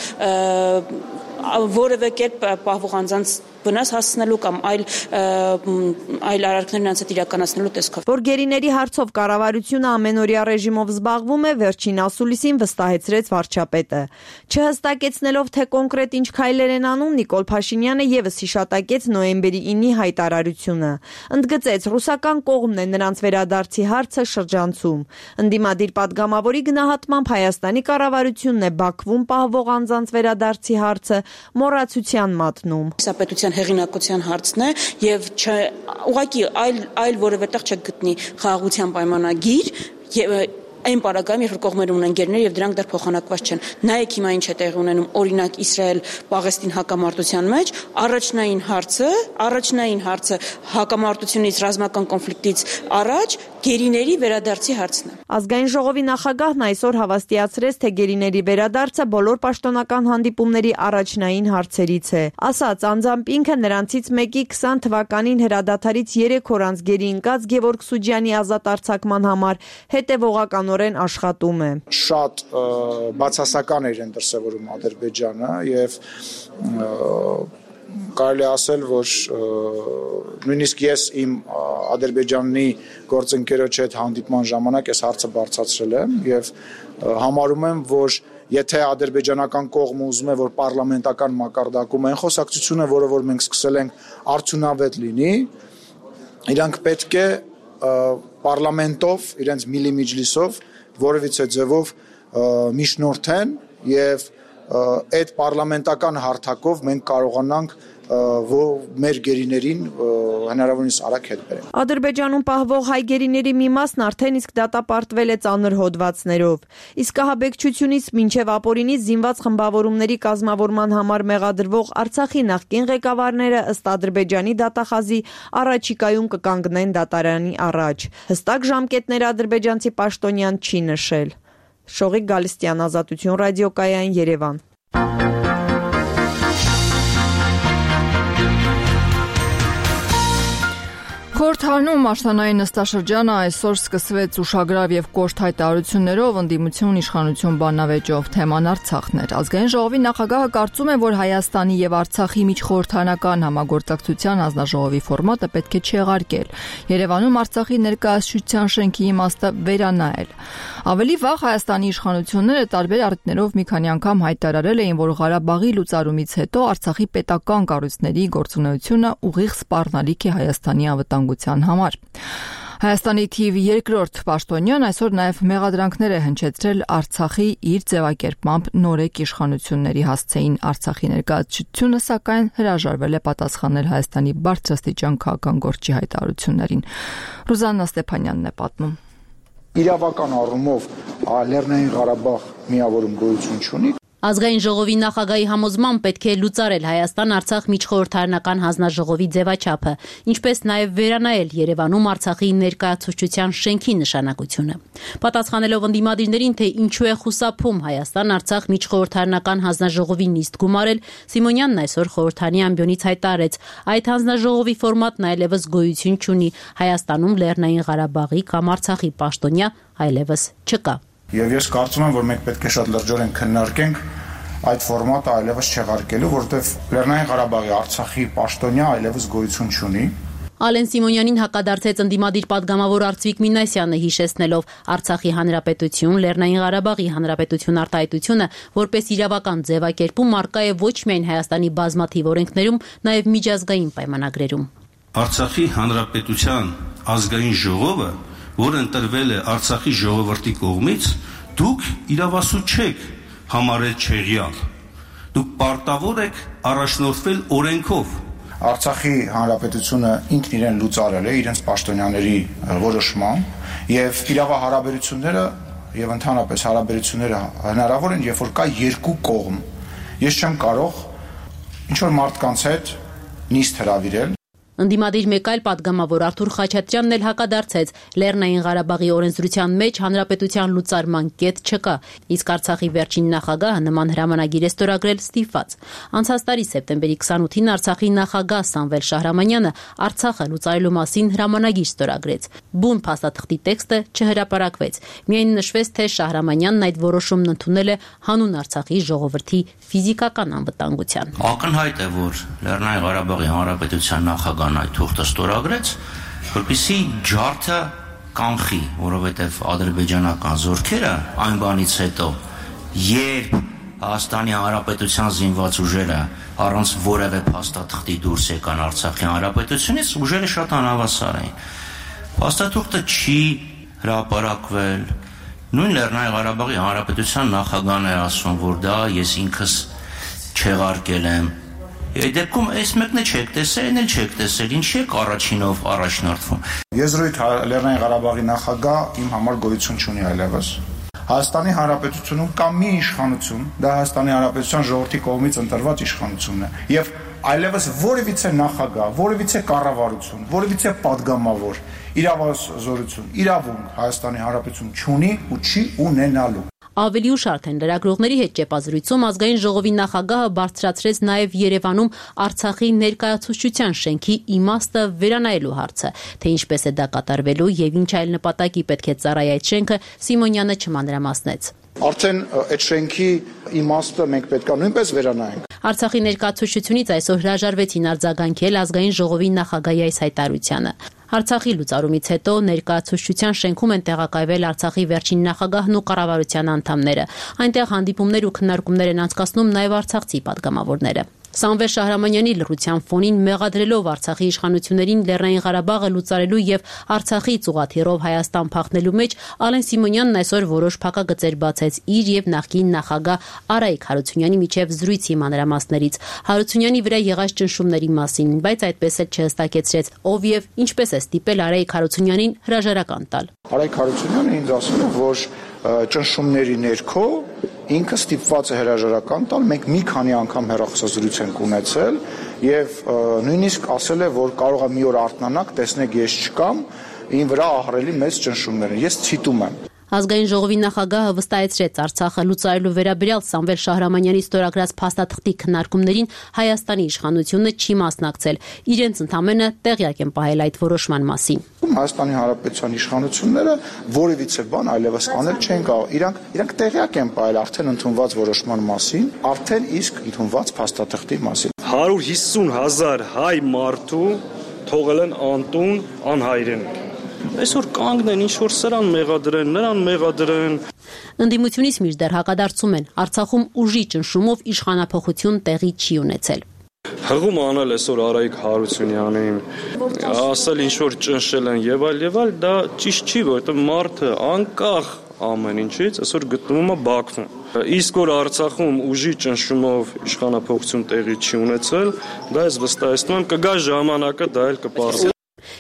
որևէ կերպ պահվող անձանց վնաս հասցնելու կամ այլ արարքներ նրանց հետ իրականացնելու տեսքով։ Որ գերիների հարցով կառավարությունը ամենօրյա ռեժիմով զբաղվում է, վերջին ասուլիսին վստահեցրեց վարչապետը։ Չհստակեցնելով, թե կոնկրետ ինչ քայլեր են անում, Նիկոլ Փաշինյանը եւս հիշատակեց նոյեմբերի 9-ի հայտարարությունը։ Ընդգծեց, ռուսական կողմն է նրանց վերադարձի հարցը շրջանցում։ Ընդդիմադիր պատգամավորի գնահատմամբ Հայաստանի կառավարությունն է Բաքվում պահվող անձանց վերադարձի հարցը մոռացության մատնում։ Սա պետության հեղինակության հարցն է եւ ուղղակի այլ որևէ տեղ չեք գտնի խաղաղության պայմանագիր եւ այն պարագայում, երբ կողմերը ունեն գերներ եւ դրանք դեռ փոխանակված չեն։ Նայեք հիմա ինչ է տեղի ունենում, օրինակ Իսրայել-Պաղեստին հակամարտության մեջ, առաջնային հարցը հակամարտությունից, ռազմական կոնֆլիկտից առաջ գերիների վերադարձի հարցն է։ Ազգային ժողովի նախագահն այսօր հավաստիացրեց, թե գերիների վերադարձը բոլոր պաշտոնական հանդիպումների առաջնային հարցերից է։ Ասաց, անձամբ ինքը նրանցից մեկի 20 թվականին հրադադարից 3 օր անց գերի ընկած Գևորգ Սուջյանի ազատ արձակման համար հետևողականորեն աշխատում է։ Շատ բացասական էր դրսևորում Ադրբեջանը եւ կարելի ասել, որ նույնիսկ ես իմ Ադրբեջանի գործընկերոջ հետ հանդիպման ժամանակ այս հարցը բարձրացրել եմ եւ համարում եմ, որ եթե ադրբեջանական կողմը ուզում է, որ պարլամենտական մակարդակում այն խոսակցությունը, որը որ մենք սկսել ենք, արդյունավետ լինի, իրանք պետք է պարլամենտով, իրենց միլիմիջլիսով որևիցե ձևով միջնորդեն եւ այդ պարլամենտական հարթակով մենք կարողանանք մեր գերիներին հնարավորինս արագ հետ բերենք։ Ադրբեջանում պահվող հայ գերիների մի մասն արդեն իսկ դատապարտվել է ծանր հոդվածներով։ Իսկ ահաբեկչությունից մինչև ապօրինի զինված խմբավորումների կազմավորման համար մեղադրվող Արցախի նախկին ղեկավարները ըստ Ադրբեջանի դատախազի առաջիկայում կկանգնեն դատարանի առաջ։ Հստակ ժամկետներ ադրբեջանցի պաշտոնյան չի նշել։ Շողիկ Գալստյան, Ազատություն ռադիոկայան, Երևան։ Խորհրդարանում աշնանային նստաշրջանը այսօր սկսվեց ուշագրավ եւ կոշտ հայտարարություններով ընդդիմություն իշխանություն բանավեճով թեման Արցախն էր։ Ազգային ժողովի նախագահը կարծում է, որ Հայաստանի եւ Արցախի միջխորհրդարանական համագործակցության հանձնաժողովի ֆորմատը պետք է չեղարկել։ Երևանում Արցախի ներկայացության շենքի իմաստը վերանայել։ Ավելի վաղ Հայաստանի իշխանությունները տարբեր առիթներով մի քանի անգամ հայտարարել էին, որ Ղարաբաղի լուծարումից հետո Արցախի պետական կառույցների գործունեությունը ուղիղ սպառնալիք է Հայաստանի անվտանգության համար։ Հայաստանի թիվ 2-րդ պաշտոնյան այսօր նաև մեղադրանքներ է հնչեցրել Արցախի իր ձևակերպմամբ նորեկ իշխանությունների հասցեին Արցախի ներկայացությունը, սակայն հրաժարվել է պատասխանել Հայաստանի բարձրաստիճան քաղաքական գործի հայտարարություններին։ Ռուզաննա Ստեփանյանն է պատմում։ Իրավական առումով Լեռնային Ղարաբաղ միավորում գոյություն չունի։ Ազգային ժողովի նախագահի համոզմամբ պետք է լուծարել Հայաստան-Արցախ միջխորհրդարանական հանձնաժողովի ձևաչափը, ինչպես նաև վերանայել Երևանում Արցախի ներկայացուցչության շենքի նշանակությունը։ Պատասխանելով ընդդիմադիրներին, թե ինչու է խուսափում Հայաստան-Արցախ միջխորհրդարանական հանձնաժողովի նիստ գումարել, Սիմոնյանն այսօր խորհրդարանի ամբիոնից հայտարարեց, այդ հանձնաժողովի ֆորմատն այլևս գոյություն չունի, Հայաստանում Լեռնային Ղարաբաղի կամ Արցախի պաշտոնյա այլևս չկա։ Եվ ես կարծում եմ, որ մենք պետք է շատ լրջորեն քննարկենք այդ ֆորմատը այլևս չեղարկելու, որովհետև Լեռնային Ղարաբաղի Արցախի պաշտոնյա այլևս գոյություն չունի։ Ալեն Սիմոնյանին հակադարձեց ընդդիմադիր պատգամավոր Արծվիկ Մինասյանը, հիշեցնելով Արցախի հանրապետություն, Լեռնային Ղարաբաղի հանրապետություն արտահայտությունը որպես իրավական ձևակերպում առկա է ոչ միայն Հայաստանի բազմաթիվ օրենքներում, նաև միջազգային պայմանագրերում։ Արցախի հանրապետության ազգային ժողովը, որը ընտրվել է Արցախի ժողովրդի կողմից, դուք իրավասու չեք համարել չեղյալ։ Դուք պարտավոր եք առաջնորդվել օրենքով։ Արցախի հանրապետությունը ինքն իրեն լուծարել է իրենց պաշտոնյաների որոշմամբ եւ իրավահարաբերությունները եւ ընդհանրապես հարաբերությունները հնարավոր են, երբ որ կա երկու կողմ։ Ես չեմ կարող ինչ որ մարդկանց հետ նիստ հրավիրել։ Ընդդիմադիր մեկ այլ պատգամավոր Արթուր Խաչատրյանն էլ հակադարձեց. Լեռնային Ղարաբաղի օրենսդրության մեջ հանրապետության լուծարման կետ չկա, իսկ Արցախի վերջին նախագահը նման հրամանագիր է ստորագրել ստիպված։ Անցած տարի սեպտեմբերի 28-ին Արցախի նախագահ Սամվել Շահրամանյանը Արցախը լուծարելու մասին հրամանագիր ստորագրեց։ Բուն փաստաթղթի տեքստը չհրապարակվեց։ Միայն նշվեց, թե Շահրամանյանն այդ որոշումն ընդունել է հանուն Արցախի ժողովրդի ֆիզիկական անվտանգության։ Ակնհայտ է, որ Լեռնային Ղարաբաղի հանրապետության նախագահն այդ թուղթը ստորագրեց, որպեսզի ջարդը կանխի, որովհետև ադրբեջանական զորքերը այն բանից հետո, երբ Հայաստանի Հանրապետության զինված ուժերը առանց որևէ փաստաթղթի դուրս եկան Արցախի Հանրապետությունից, ուժերը շատ անհավասար էին։ Փաստաթուղթը չի հրապարակվել։ Նույն Լեռնային Ղարաբաղի Հանրապետության նախագահն է ասում, որ դա ես ինքս չեղարկել եմ։ Այդ դեպքում այս մեկն է չեք տեսել, այն էլ չեք տեսել, ինչի եք առաջինով առաջնորդվում։ Եզրույթ Լեռնային Ղարաբաղի նախագահ իմ համար գոյություն չունի այլևս։ Հայաստանի Հանրապետությունում կա մի իշխանություն, դա Հայաստանի Հանրապետության ժողովրդի կողմից ընտրված իշխանությունն է, եւ այլևս որևիցե նախագահ, որևիցե կառավարություն, որևիցե падգամավոր իրավազորություն, իրավունք Հայաստանի Հանրապետություն չունի ու չի ունենալու։ Ավելի ուշ արդեն լրագրողների հետ ճեպազրույցում ազգային ժողովի նախագահը բարձրացրեց նաև Երևանում Արցախի ներկայացուցչության շենքի իմաստը վերանայելու հարցը, թե ինչպես է դա կատարվելու եւ ինչ այլ նպատակի պետք է ծառայի այդ շենքը, Սիմոնյանը չմանրամասնեց։ Արդեն այդ շենքի իմաստը մենք պետք է նույնպես վերանայենք։ Արցախի ներկայացուցչությունից այսօր հրաժարվեցին արձագանքել ազգային ժողովի նախագահի այս հայտարարությանը։ Արցախի լուծարումից հետո ներկայացուցչության շենքում են տեղակայվել Արցախի վերջին նախագահն ու կառավարության անդամները։ Այնտեղ հանդիպումներ ու քննարկումներ են անցկացնում նաև արցախցի падգամավորները։ Սամվել Շահրամանյանի լռության ֆոնին մեղադրելով Արցախի իշխանություններին Լեռնային Ղարաբաղը լուծարելու եւ Արցախի ծուղաթիռով Հայաստան փախնելու մեջ Ալեն Սիմոնյանն այսօր որոշ փակագծեր բացեց իր եւ նախկին նախագահ Արայիկ Հարությունյանի միջև զրույցի մանրամասներից Հարությունյանի վրա եղած ճնշումների մասին, բայց այդպես էլ չհստակեցրեց ով եւ ինչպես է ստիպել Արայիկ Հարությունյանին հրաժարական տալ։ Արայիկ Հարությունյանը ինձ ասում է, որ ճնշումների ներքո ինքը ստիպված է հրաժարական տալ, մենք մի քանի անգամ հեռախոսազրույց ենք ունեցել եւ նույնիսկ ասել է, որ կարող է մի օր արթնանաք, տեսնեք ես չկամ, ին վրա ահռելի մեծ ճնշումներ են, ես ցիտում եմ։ Ազգային ժողովի նախագահը վստահեցրեց Արցախը լուծարելու վերաբերյալ Սամվել Շահրամանյանի ստորագրած փաստաթղթի քննարկումներին Հայաստանի իշխանությունը չի մասնակցել։ Իրենց ընդամենը տեղյակ են պահել այդ որոշման մասին։ Հայաստանի Հանրապետության իշխանությունները որևիցե բան այլևս անել չեն կարող։ Իրանք տեղյակ են պահել արդեն ընդունված որոշման մասին, արդեն իսկ ընդունված փաստաթղթի մասին։ 150,000 հայ մարդու թողել են անտուն, անհայրենիք։ Այսօր կանգնեն ինչ-որ սրան մեղադրեն, նրան մեղադրեն։ Ընդդիմությունից մինչդեռ հակադարձում են Արցախում ուժի ճնշումով իշխանափոխություն տեղի չի ունեցել։ Հղում անել այսօր Արայիկ Հարությունյանին, ասել ինչ-որ ճնշել են եւ այլ, դա ճիշտ չի, որովհետեւ մարդը անկախ ամեն ինչից այսօր գտնվում է Բաքվում։ Իսկ որ Արցախում ուժի ճնշումով իշխանափոխություն տեղի չի ունեցել, դա ես վստահեցնում եմ կգա ժամանակը, դա էլ կպարզվի։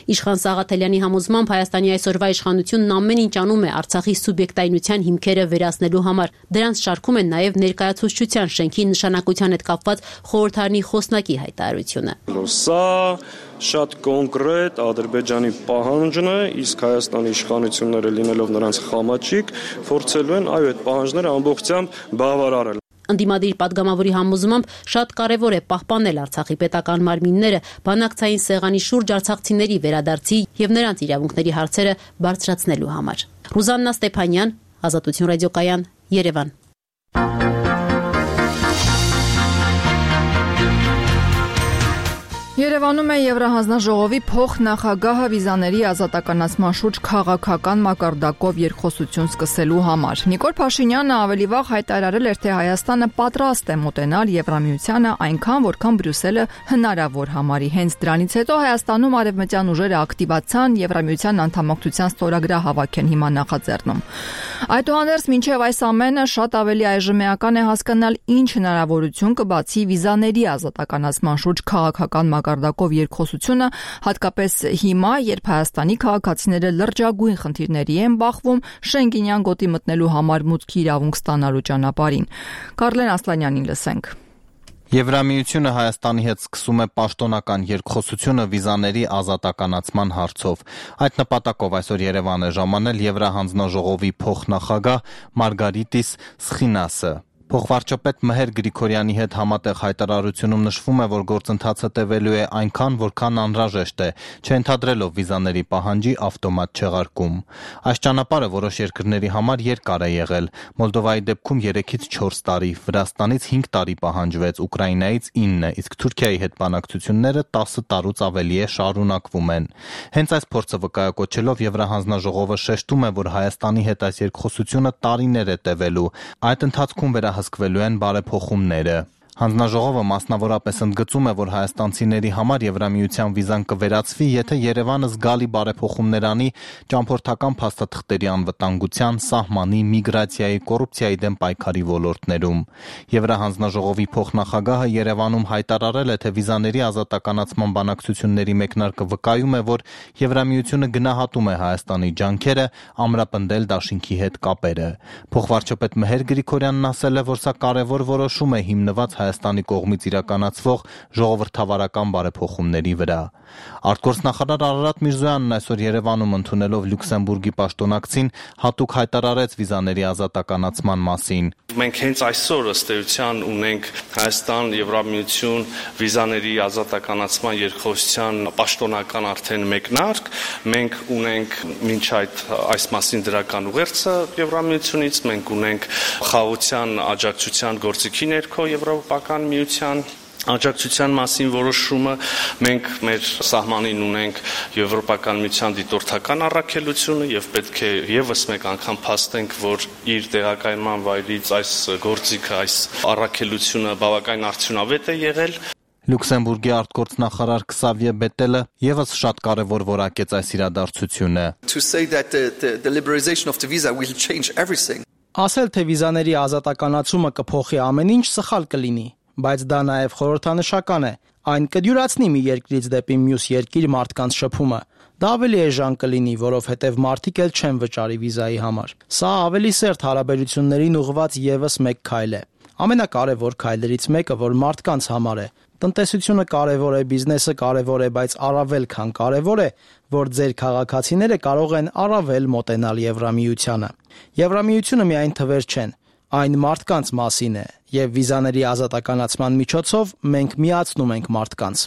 Իշխան Սաղաթելյանի համոզմամբ Հայաստանի այսօրվա իշխանությունն ամեն ինչ անում է Արցախի սուբյեկտայնության հիմքերը վերացնելու համար։ Դրանց շարքում են նաև ներկայացուցչության շենքի նշանակության հետ կապված խորհրդարանի խոսնակի հայտարարությունը։ Սա շատ կոնկրետ Ադրբեջանի պահանջն է, իսկ Հայաստանի իշխանությունները լինելով նրանց խամաչիկ, փորձելու են այդ պահանջները ամբողջությամբ բավարարել։ Ընդդիմադիր падգամավորի համոզմամբ շատ կարևոր է պահպանել Արցախի պետական մարմինները բանակցային սեղանի շուրջ արցախցիների վերադարձի եւ նրանց իրավունքների հարցերը բարձրացնելու համար։ Ռուզաննա Ստեփանյան, Ազատություն ռադիոկայան, Երևան։ Երևանում է Եվրահանձնաժողովի փոխնախագահը վիզաների ազատականացման շուրջ քաղաքական մակարդակով երկխոսություն սկսելու համար։ Նիկոլ Փաշինյանը ավելի վաղ հայտարարել էր, թե Հայաստանը պատրաստ է մոտենալ Եվրամիությանը այնքան, որքան Բրյուսելը հնարավոր համարի։ Հենց դրանից հետո Հայաստանում արևմտյան ուժերը ակտիվացան Եվրամիության անդամակցության ստորագրահավաք են հիմա նախաձեռնում։ Այդուհանդերձ մինչև այս ամենը շատ ավելի այժմեական է հասկանալ ինչ հնարավորություն կբացի վիզաների ազատականացման շուրջ քաղաքական մակարդակով երկխոսությունը, հատկապես հիմա, երբ Հայաստանի քաղաքացիները լրջագույն խնդիրների են բախվում Շենգենյան գոտի մտնելու համար մուտքի իրավունք ստանալու ճանապարհին։ Կարլեն Ասլանյանին լսենք։ Եվրամիությունը Հայաստանի հետ սկսում է պաշտոնական երկխոսությունը վիզաների ազատականացման հարցով։ Այդ նպատակով այսօր Երևան է ժամանել Եվրահանձնաժողովի փոխնախագահ Մարգարիտիս Սխինասը։ Փոխվարչապետ Մհեր Գրիգորյանի հետ համատեղ հայտարարությունում նշվում է, որ գործընթացը տևելու է այնքան, որքան անհրաժեշտ է, չընդհանրելով վիզաների պահանջի ավտոմատ չեղարկում։ Այս ճանապարհը որոշ երկրների համար երկար է եղել։ Մոլդովայի դեպքում 3-ից 4 տարի, Վրաստանից 5 տարի պահանջվեց, Ուկրաինայից 9, իսկ Թուրքիայի հետ բանակցությունները 10 տարուց ավելի է շարունակվում են։ Հենց այս փորձը վկայակոչելով Եվրահանձնաժողովը շեշտում է, որ Հայաստանի հետ այս երկխոսությունը տարիներ է տևելու։ Այդ ընթացքում վերահսկվելու են բարեփոխումները։ Հանձնաժողովը մասնավորապես ընդգծում է, որ հայաստանցիների համար Եվրամիության վիզան կվերացվի, եթե Երևանը զգալի բարեփոխումներ անի ճամփորդական փաստաթղթերի անվտանգության, սահմանի, միգրացիայի, կոռուպցիայի դեմ պայքարի ոլորտներում։ Եվրահանձնաժողովի փոխնախագահը Երևանում հայտարարել է, թե վիզաների ազատականացման բանակցությունների մեկնարկը վկայում է, որ Եվրամիությունը գնահատում է Հայաստանի ջանքերը ամրապնդել դաշինքի հետ կապերը։ Փոխվարչապետ Մհեր Գրիգորյանն ասել է, որ սա կարևոր որոշում է հիմնված Հայաստանի կողմից իրականացվող ժողովրդավարական բարեփոխումների վրա։ Արտգործնախարար Արարատ Միրզոյանն այսօր Երևանում ընդունելով Լյուքսեմբուրգի պաշտոնակցին հատուկ հայտարարեց վիզաների ազատականացման մասին։ Մենք հենց այսօր ըստ էության ունենք Հայաստան-Եվրամիություն վիզաների ազատականացման երկխոսության պաշտոնական արդեն մեկնարկ։ Մենք ունենք մինչ այս մասին դրական ուղերձը Եվրամիությունից, մենք ունենք խաղաղության աջակցության գործիքի ներքո Եվրոպական միության աջակցության մասին որոշումը, մենք մեր սահմանին ունենք Եվրոպական միության դիտորդական առաքելությունը եւ պետք է եւս մեկ անգամ փաստենք, որ իր տեղակայման վայրից այս գործիքը, այս առաքելությունը բավական արդյունավետ է եղել։ Լյուքսեմբուրգի արտգործնախարար Քսավիե Բետելը եւս շատ կարևոր որակեց այս իրադարձությունը։ Ասել, թե վիզաների ազատականացումը կփոխի ամեն ինչ, սխալ կլինի, բայց դա նաև խորհրդանշական է։ Այն կդյուրացնի մի երկրից դեպի մյուս երկիր մարդկանց շփումը։ Դա ավելի էժան կլինի, որովհետև մարդիկ էլ չեն վճարի վիզայի համար։ Սա ավելի սերտ հարաբերություններին ուղղված եւս մեկ քայլ է։ Ամենակարևոր քայլերից մեկը, որ մարդկանց համար է։ Տնտեսությունը կարևոր է, բիզնեսը կարևոր է, բայց առավել քան կարևոր է, որ ձեր քաղաքացիները կարող են առավել մոտենալ Եվրամիությանը։ Եվրամիությունը միայն թվեր չեն, այն մարդկանց մասին է, եւ վիզաների ազատականացման միջոցով մենք միացնում ենք մարդկանց։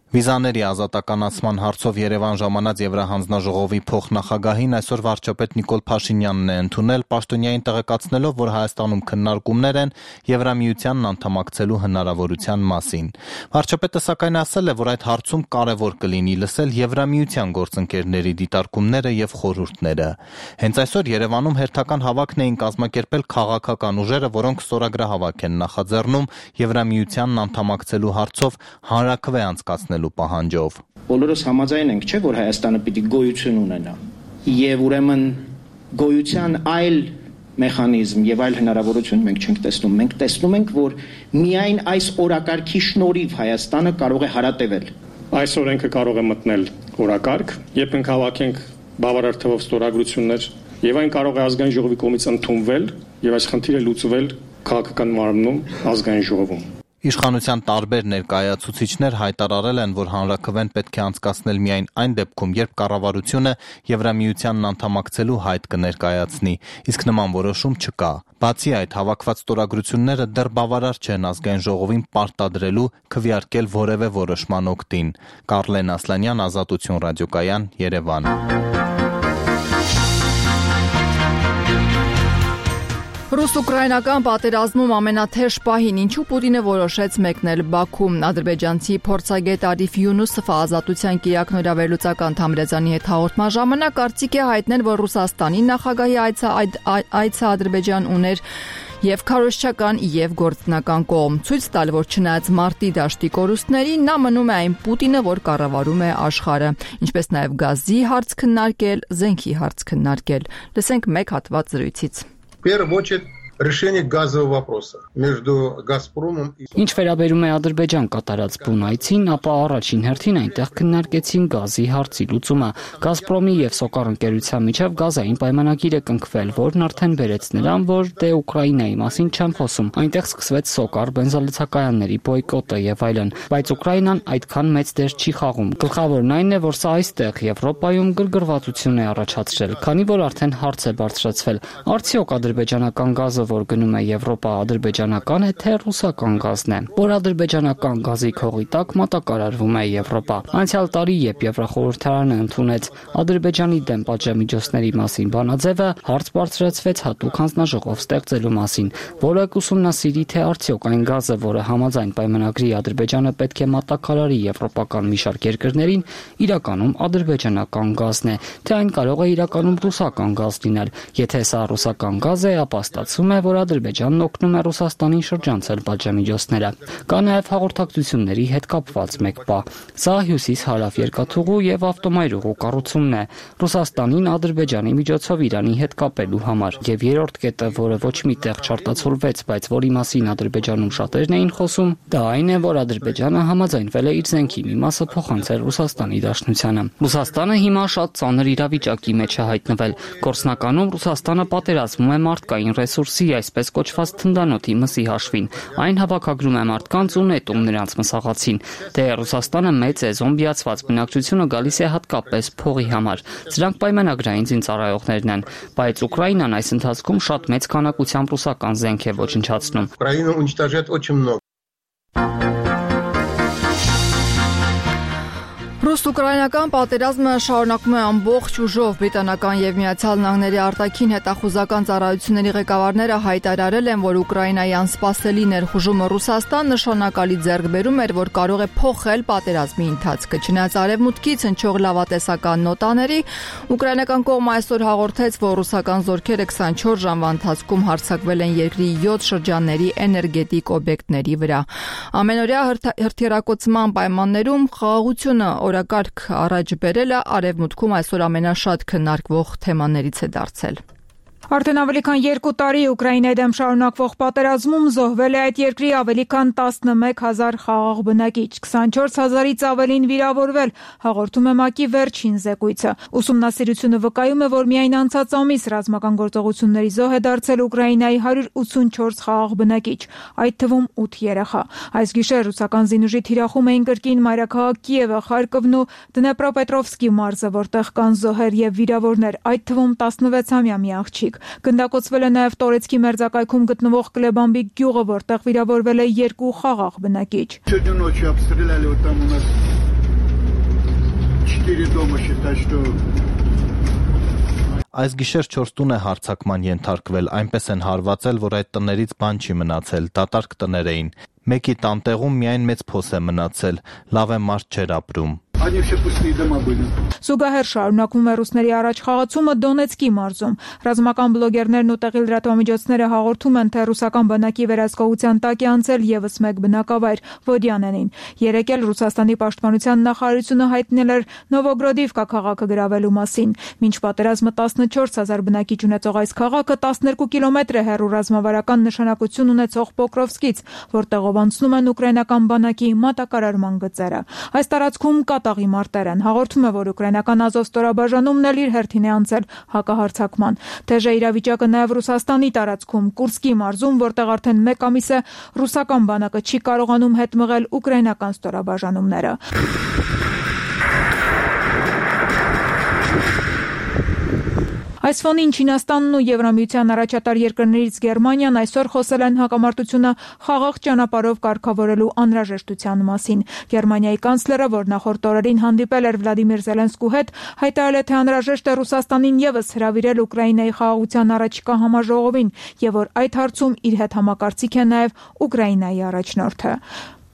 Վիզաների ազատականացման հարցով Երևան ժամանած Եվրահանձնաժողովի փոխնախագահին այսօր վարչապետ Նիկոլ Փաշինյանն է ընդունել, պաշտոնյային տեղեկացնելով, որ Հայաստանում քննարկումներ են Եվրամիությանն անդամակցելու հնարավորության մասին։ Վարչապետը սակայն ասել է, որ այդ հարցում կարևոր կլինի լսել Եվրամիության գործընկերների դիտարկումները եւ խորհուրդները։ Հենց այսօր Երևանում հերթական հավաքն էին կազմակերպել քաղաքական ուժերը, որոնք ստորագրահավաք են նախաձեռնում Եվրամիությանն անդամակցելու հարցով հանրաքվե անցկացնել պահանջով։ Բոլորս համաձայն ենք, չէ՞, որ Հայաստանը պիտի գոյություն ունենա։ Եվ ուրեմն գոյության այլ մեխանիզմ եւ այլ հնարավորություն մենք չենք տեսնում։ Մենք տեսնում ենք, որ միայն այս օրակարգի շնորհիվ Հայաստանը կարող է հարատևել։ Այս օրենքը կարող է մտնել օրակարգ, երբ մենք հավաքենք բավարար թվով ստորագրություններ, եւ այն կարող է ազգային ժողովի կողմից ընդունվել եւ այս խնդիրը լուծվել քաղաքական մարմնում ազգային ժողովում։ Իշխանության տարբեր ներկայացուցիչներ հայտարարել են, որ հանրաքվեն պետք է անցկացնել միայն այն դեպքում, երբ կառավարությունը Եվրամիությանն անդամակցելու հայտ կներկայացնի, իսկ նման որոշում չկա։ Բացի այդ, հավաքված ստորագրությունները դեռ բավարար չեն ազգային ժողովին պարտադրելու քվեարկել որևէ որոշման օգտին։ Կարլեն Ասլանյան, Ազատություն ռադիոկայան, Երևան։ Ռուս-ուկրաինական պատերազմում ամենաթեժ պահին ինչու Պուտինը որոշեց մեկնել Բաքու։ Ադրբեջանցի փորձագետ Արիֆ Յունուսովը Ազատության կիրակնորավերլուծական Թամրազյանի հետ հաղորդման ժամանակ կարծիք է հայտնել, որ Ռուսաստանի նախագահի այցը Ադրբեջան ուներ եւ քարոզչական եւ գործնական կողմ։ Ցույց տալ, որ չնայած մարտի դաշտի կորուստների, նա մնում է այն Պուտինը, որ կառավարում է աշխարհը, ինչպես նաեւ գազի հարց քննարկել, զենքի հարց քննարկել։ Լսենք մեկ հատված զրույցից։ В первую очередь решение газового вопроса между «Газпромом» и... Ինչ վերաբերում է Ադրբեջան կատարած բուն այցին, ապա առաջին հերթին այնտեղ քննարկեցին գազի հարցի լուծումը։ «Գազպրոմի» եւ «Սոկար» ընկերության միջև գազային պայմանագիր է կնքվել, որն արդեն բերեց նրան, որ դե Ուկրաինայի մասին չեմ խոսում։ Այնտեղ սկսվեց «Սոկար» բենզալցակայանների բոյկոտը եւ այլն, բայց Ուկրաինան այդքան մեծ դեր չի խաղում։ Գլխավորն այն է, որ սա այստեղ Եվրոպայում գրգռվածություն է առաջացրել, քանի որ արդեն հարց է բարձրացվել. արդյոք ադրբեջանական գազը, որ գնում է Եվրոպա, ադրբեջանական է թե ռուսական գազն է, որ ադրբեջանական գազի քողի տակ մատակարարվում է Եվրոպա։ Անցյալ տարի, երբ Եվրախորհրդարանը ընդունեց Ադրբեջանի դեմ պատժամիջոցների մասին բանաձևը, հարց բարձրացվեց հատուկ հանձնաժողով ստեղծելու մասին, որը կուսումնասիրի, թե արդյոք այն գազը, որը համաձայն պայմանագրի Ադրբեջանը պետք է մատակարարի եվրոպական մի շարք երկրներին, իրականում ադրբեջանական գազն է, թե այն կարող է իրականում ռուսական գազ լինել։ Եթե սա ռուսական գազ է, ապա ստացվում է, որ Ադրբեջանն օգնում է Ռուսաստանին շրջանցել պատժամիջոցները։ Կա նաև հաղորդակցությունների հետ կապված մեկ բան։ Սա հյուսիս-հարավ երկաթուղու եւ ավտոմայրուղու կառուցումն է Ռուսաստանին Ադրբեջանի միջոցով Իրանի հետ կապելու համար։ Եվ երրորդ կետը, որը ոչ մի տեղ չարտացոլվեց, բայց որի մասին Ադրբեջանում շատերն էին խոսում, դա այն է, որ Ադրբեջանը համաձայնվել է իր զենքի մի մասը փոխանցել Ռուսաստանի Դաշնությանը։ Ռուսաստանը հիմա շատ ծանր իրավիճակի մեջ է հայտնվել։ Գործնականում Ռուսաստանը պատերազմում է մարդկային ռեսուրսի, այսպես կոչված թնդանոթի մսի հաշվին։ Այն հավաքագրում է մարդկանց ու նետում նրանց մսաղացին։ Դե Ռուսաստանը մեծ է, զոմբիացված բնակչությունը գալիս է հատկապես փողի համար։ Սրանք պայմանագրային զինծառայողներն են, բայց Ուկրաինան այս ընթացքում շատ մեծ քանակությամբ ռուսական զենք է ոչնչացնում։ Украина уничтожает очень много. Ռուս-ուկրաինական պատերազմը շարունակում է ամբողջ ուժով։ Բրիտանական եւ Միացյալ Նահանգների արտաքին հետախուզական ծառայությունների ղեկավարները հայտարարել են, որ Ուկրաինայի անսպասելի ներխուժումը Ռուսաստան նշանակալի ձեռքբերում էր, որ կարող է փոխել պատերազմի ընթացքը։ Չնայած արևմուտքից հնչող լավատեսական նոտաների, ուկրաինական կողմը այսօր հաղորդեց, որ ռուսական զորքերը 24 ժամվա ընթացքում հարձակվել են երկրի 7 շրջանների էներգետիկ օբյեկտների վրա։ Ամենօրյա հրթիռակոծման պայմաններում խաղաղությունը օրակարգ առաջ բերելը արևմուտքում այսօր ամենաշատ քննարկվող թեմաներից է դարձել։ Արդեն ավելի քան 2 տարի Ուկրաինայի դեմ շարունակվող պատերազմում զոհվել է այդ երկրի ավելի քան 11000 խաղաղ բնակիչ, 24000-ից ավելին վիրավորվել, հաղորդում է ՄԱԿ-ի վերջին զեկույցը։ Ուսումնասիրությունը վկայում է, որ միայն անցած ամիս ռազմական գործողությունների զոհ է դարձել Ուկրաինայի 184 խաղաղ բնակիչ, այդ թվում 8 երեխա։ Այս գիշեր ռուսական զինուժի թիրախում էին կրկին մայրաքաղաք Կիևը, Խարկովն ու Դնեպրոպետրովսկի մարզը, որտեղ կան զոհեր եւ վիրավորներ, այդ թվում 16-ամյա մի աղջիկ։ Գնդակոծվել է նաև Տորեցկի մերձակայքում գտնվող Կլեբամբիկ գյուղը, որտեղ վիրավորվել է 2 խաղաղ բնակիչ։ Այս գիշեր 4 տուն է հարձակման ենթարկվել, այնպես են հարվածել, որ այդ տներից բան չի մնացել, դատարկ տներ էին։ Մեկի տանտեղում միայն մեծ փոս է մնացել, լավ է մարդ չէր ապրում։ Զուգահեռ շարունակվում է ռուսների առաջխաղացումը Դոնեցկի մարզում։ Ռազմական բլոգերներն ու տեղի լրատվամիջոցները հաղորդում են, թե ռուսական բանակի վերահսկողության տակ է անցել եւս մեկ բնակավայր Վոդյանենին։ Երեկ էլ Ռուսաստանի պաշտպանության նախարարությունը հայտնել էր Նովոգրոդիվկա քաղաքը գրավելու մասին։ Մինչ պատերազմը 14000 բնակիչ ունեցող այս քաղաքը 12 կիլոմետր է հեռու ռազմավարական նշանակություն ունեցող Պոկրովսկից, որտեղով անցնում են ուկրաինական բանակի մատակարարման գծերը։ Այս տարածքում կատաղի մարտեր են։ Հաղորդում է, որ ուկրաինական Ազով ստորաբաժանումն էլ իր հերթին է անցել հակահարձակման։ Թեժ է իրավիճակը նաև Ռուսաստանի տարածքում, Կուրսկի մարզում, որտեղ արդեն 1 ամիս է ռուսական բանակը չի կարողանում հետ մղել ուկրաինական ստորաբաժանումները։ Այս ֆոնին Չինաստանն ու Եվրամիության առաջատար երկրներից Գերմանիան այսօր խոսել են հակամարտությունը խաղաղ ճանապարհով կարգավորելու անհրաժեշտության մասին։ Գերմանիայի կանցլերը, որ նախորդ օրերին հանդիպել էր Վլադիմիր Զելենսկու հետ, հայտարարել է, թե անհրաժեշտ է Ռուսաստանին եւս հրավիրել Ուկրաինայի խաղաղության առաջիկա համաժողովին, եւ որ այդ հարցում իր հետ համակարծիք է նաեւ Ուկրաինայի առաջնորդը։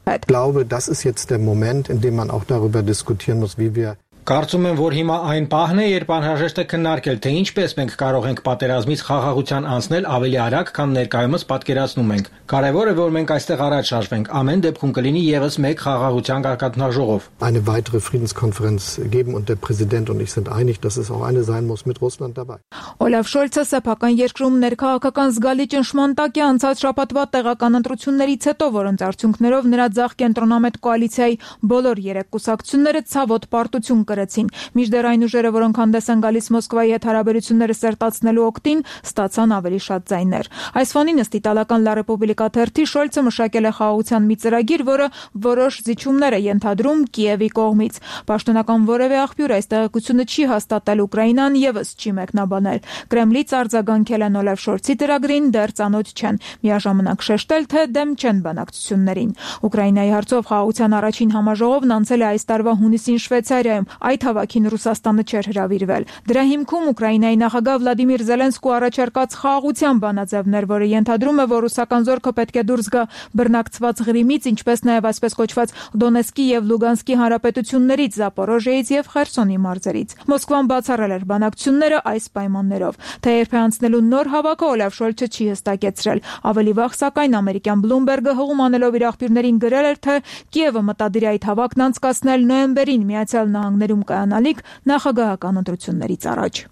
Ich glaube, das ist jetzt der Moment, in dem man auch darüber diskutieren muss, wie wir Կարծում եմ, որ հիմա այն պահն է, երբ անհրաժեշտ է քննարկել, թե ինչպես մենք կարող ենք պատերազմից խաղաղության անցնել ավելի արագ, քան ներկայումս պատկերացնում ենք։ Կարևոր է, որ մենք այստեղ առաջ շարժվենք։ Ամեն դեպքում կլինի եւս մեկ խաղաղության կարգախոսժողով։ Eine weitere Friedenskonferenz geben und der Präsident und ich sind einig, dass es auch eine sein muss mit Russland dabei. Օլաֆ Շոլցը սեփական երկրում ներքաղաքական զգալի ճնշման տակ է անցած շաբաթվա տեղական ընտրություններից հետո, որոնց արդյունքներով նրա ձախ կենտրոնամետ կոալիցիայի բոլոր 3 կուսակցությունները ցավոտ պարտություն կրեցին։ Մինչդեռ այն ուժերը, որոնք հանդես են գալիս Մոսկվայի հետ հարաբերությունները սերտացնելու օգտին, ստացան ավելի շատ ձայներ։ Այս ֆոնին ըստ իտալական La Repubblica թերթի Շոլցը մշակել է խաղաղության մի ծրագիր, որը որոշ զիջումներ է ենթադրում Կիևի կողմից։ Պաշտոնական որևէ աղբյուր այս տեղեկությունը չի հաստատել, Ուկրաինան եւս չի մեկնաբանել։ Կրեմլից արձագանքել են Օլաֆ Շոլցի ծրագրին, դեռ ծանոթ չեն, միաժամանակ շեշտել, թե դեմ չեն բանակցություններին։ Ուկրաինայի հարցով խաղաղության առաջին համաժողովն անցել է այս տարվա հունիսին Շվեյցարիայում։ Այդ հավաքին Ռուսաստանը չէր հրավիրվել։ Դրա հիմքում Ուկրաինայի նախագահ Վլադիմիր Զելենսկու առաջարկած խաղաղության բանաձևներ, որը ենթադրում է, որ ռուսական զորքը պետք է դուրս գա բռնակցված Ղրիմից, ինչպես նաև այսպես կոչված Դոնեցկի եւ Լուգանսկի հանրապետություններից, Զապորոժիայից եւ Խերսոնի մարզերից։ Մոսկվան բացառել էր բանակցությունները այս պայմաններով։ Թե երբ է անցնելու նոր հավաքը, Օլաֆ Շոլցը չի հստակեցրել։ Ավելի վաղ, սակայն, ամերիկյան Bloomberg-ը հղում անելով իր աղբյուրներին գրել էր, թե Կիևը մտադիր է այդ հավաքն անցկացնել նոյեմբերին Միացյալ Նահանգներում կայանալիք նախագահական ընտրություններից առաջ։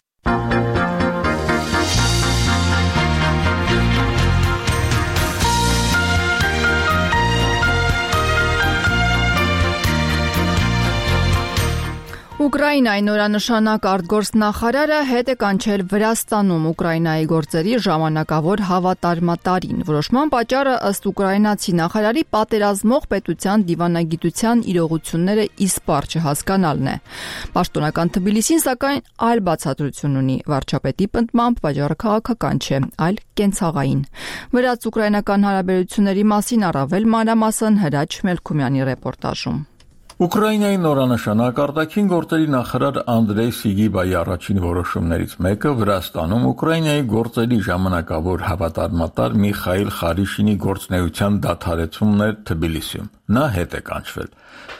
Ուկրաինայի նորանշանակ արտգործնախարարը հետ է կանչել Վրաստանում Ուկրաինայի գործերի ժամանակավոր հավատարմատարին։ Որոշման պատճառը ըստ ուկրաինացի նախարարի պատերազմող պետության դիվանագիտության իրողությունները իսպառ չհասկանալն է։ Պաշտոնական Թբիլիսին սակայն այլ բացատրություն ունի։ Վարչապետի պնդմամբ պատճառը քաղաքական չէ, այլ կենցաղային։ Վրաց-ուկրաինական հարաբերությունների մասին առավել մանրամասն Հրաչ Մելքումյանի ռեպորտաժում։ Ուկրաինայի նորանշանակ արտաքին գործերի նախարար Անդրեյ Սիգիբայի առաջին որոշումներից մեկը Վրաստանում Ուկրաինայի գործերի ժամանակավոր հավատարմատար Միխայիլ Խարիշինի գործունեության դադարեցումն էր Թբիլիսիում։ Նա հետ է կանչվել։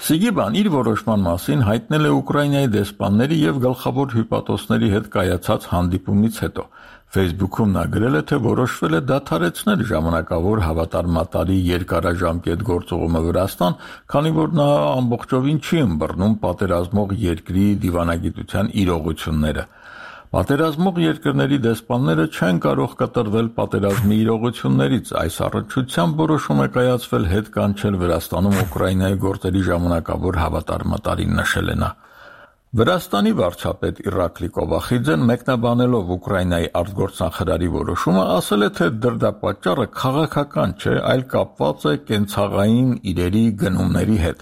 Սիգիբան իր որոշման մասին հայտնել է Ուկրաինայի դեսպանների եւ գլխավոր հյուպատոսների հետ կայացած հանդիպումից հետո։ Facebook-ում նա գրել է, թե որոշվել է դադարեցնել ժամանակավոր հավատարմատարի երկարաժամկետ գործողումը Վրաստան, քանի որ նա ամբողջովին չի ըմբռնում պատերազմող երկրի դիվանագիտության իրողությունները։ Պատերազմող երկրների դեսպանները չեն կարող կտրվել պատերազմի իրողություններից, այս առնչությամբ որոշում է կայացվել հետ կանչել Վրաստանում Ուկրաինայի գործերի ժամանակավոր հավատարմատարին, նշել է նա։ Վրաստանի վարչապետ Իրակլի Կովախիձեն մեկնաբանելով Ուկրաինայի արտգործնախարարի որոշումը ասել է, թե դրդապատճառը քաղաքական չէ, այլ կապված է կենցաղային իրերի գնումների հետ։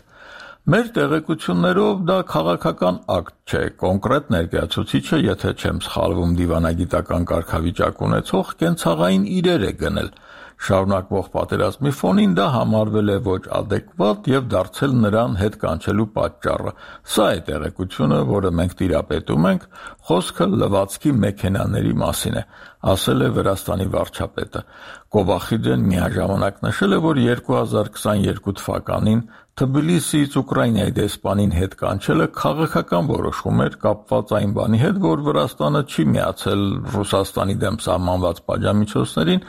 Մեր տեղեկություններով դա քաղաքական ակտ չէ, կոնկրետ ներկայացուցիչը, եթե չեմ սխալվում, դիվանագիտական կարգավիճակ ունեցող կենցաղային իրեր է գնել։ Շարունակվող պատերազմի ֆոնին դա համարվել է ոչ ադեկվատ եւ դարձել նրան հետ կանչելու պատճառը։ Սա է տեղեկությունը, որը մենք տիրապետում ենք, խոսքը լվացքի մեքենաների մասին է, ասել է Վրաստանի վարչապետը։ Կովախիձեն միաժամանակ նշել է, որ 2022 թվականին Թբիլիսիից Ուկրաինայի դեսպանին հետ կանչելը քաղաքական որոշում էր կապված այն բանի հետ, որ Վրաստանը չի միացել Ռուսաստանի դեմ սահմանված պատժամիջոցներին,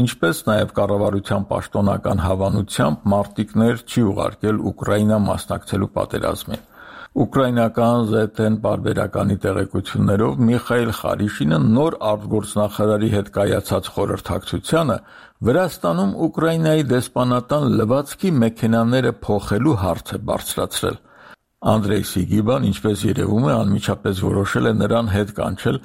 ինչպես նաև կառավարության պաշտոնական հավանությամբ մարտիկներ չի ուղարկել Ուկրաինա մասնակցելու պատերազմին։ Ուկրաինական ZN պարբերականի տեղեկություններով Միխայիլ Խարիշինը նոր արտգործնախարարի հետ կայացած խորհրդակցությանը Վրաստանում Ուկրաինայի դեսպանատան լվացքի մեքենաները փոխելու հարց է բարձրացրել։ Անդրեյ Սիգիբան, ինչպես երևում է, անմիջապես որոշել է նրան հետ կանչել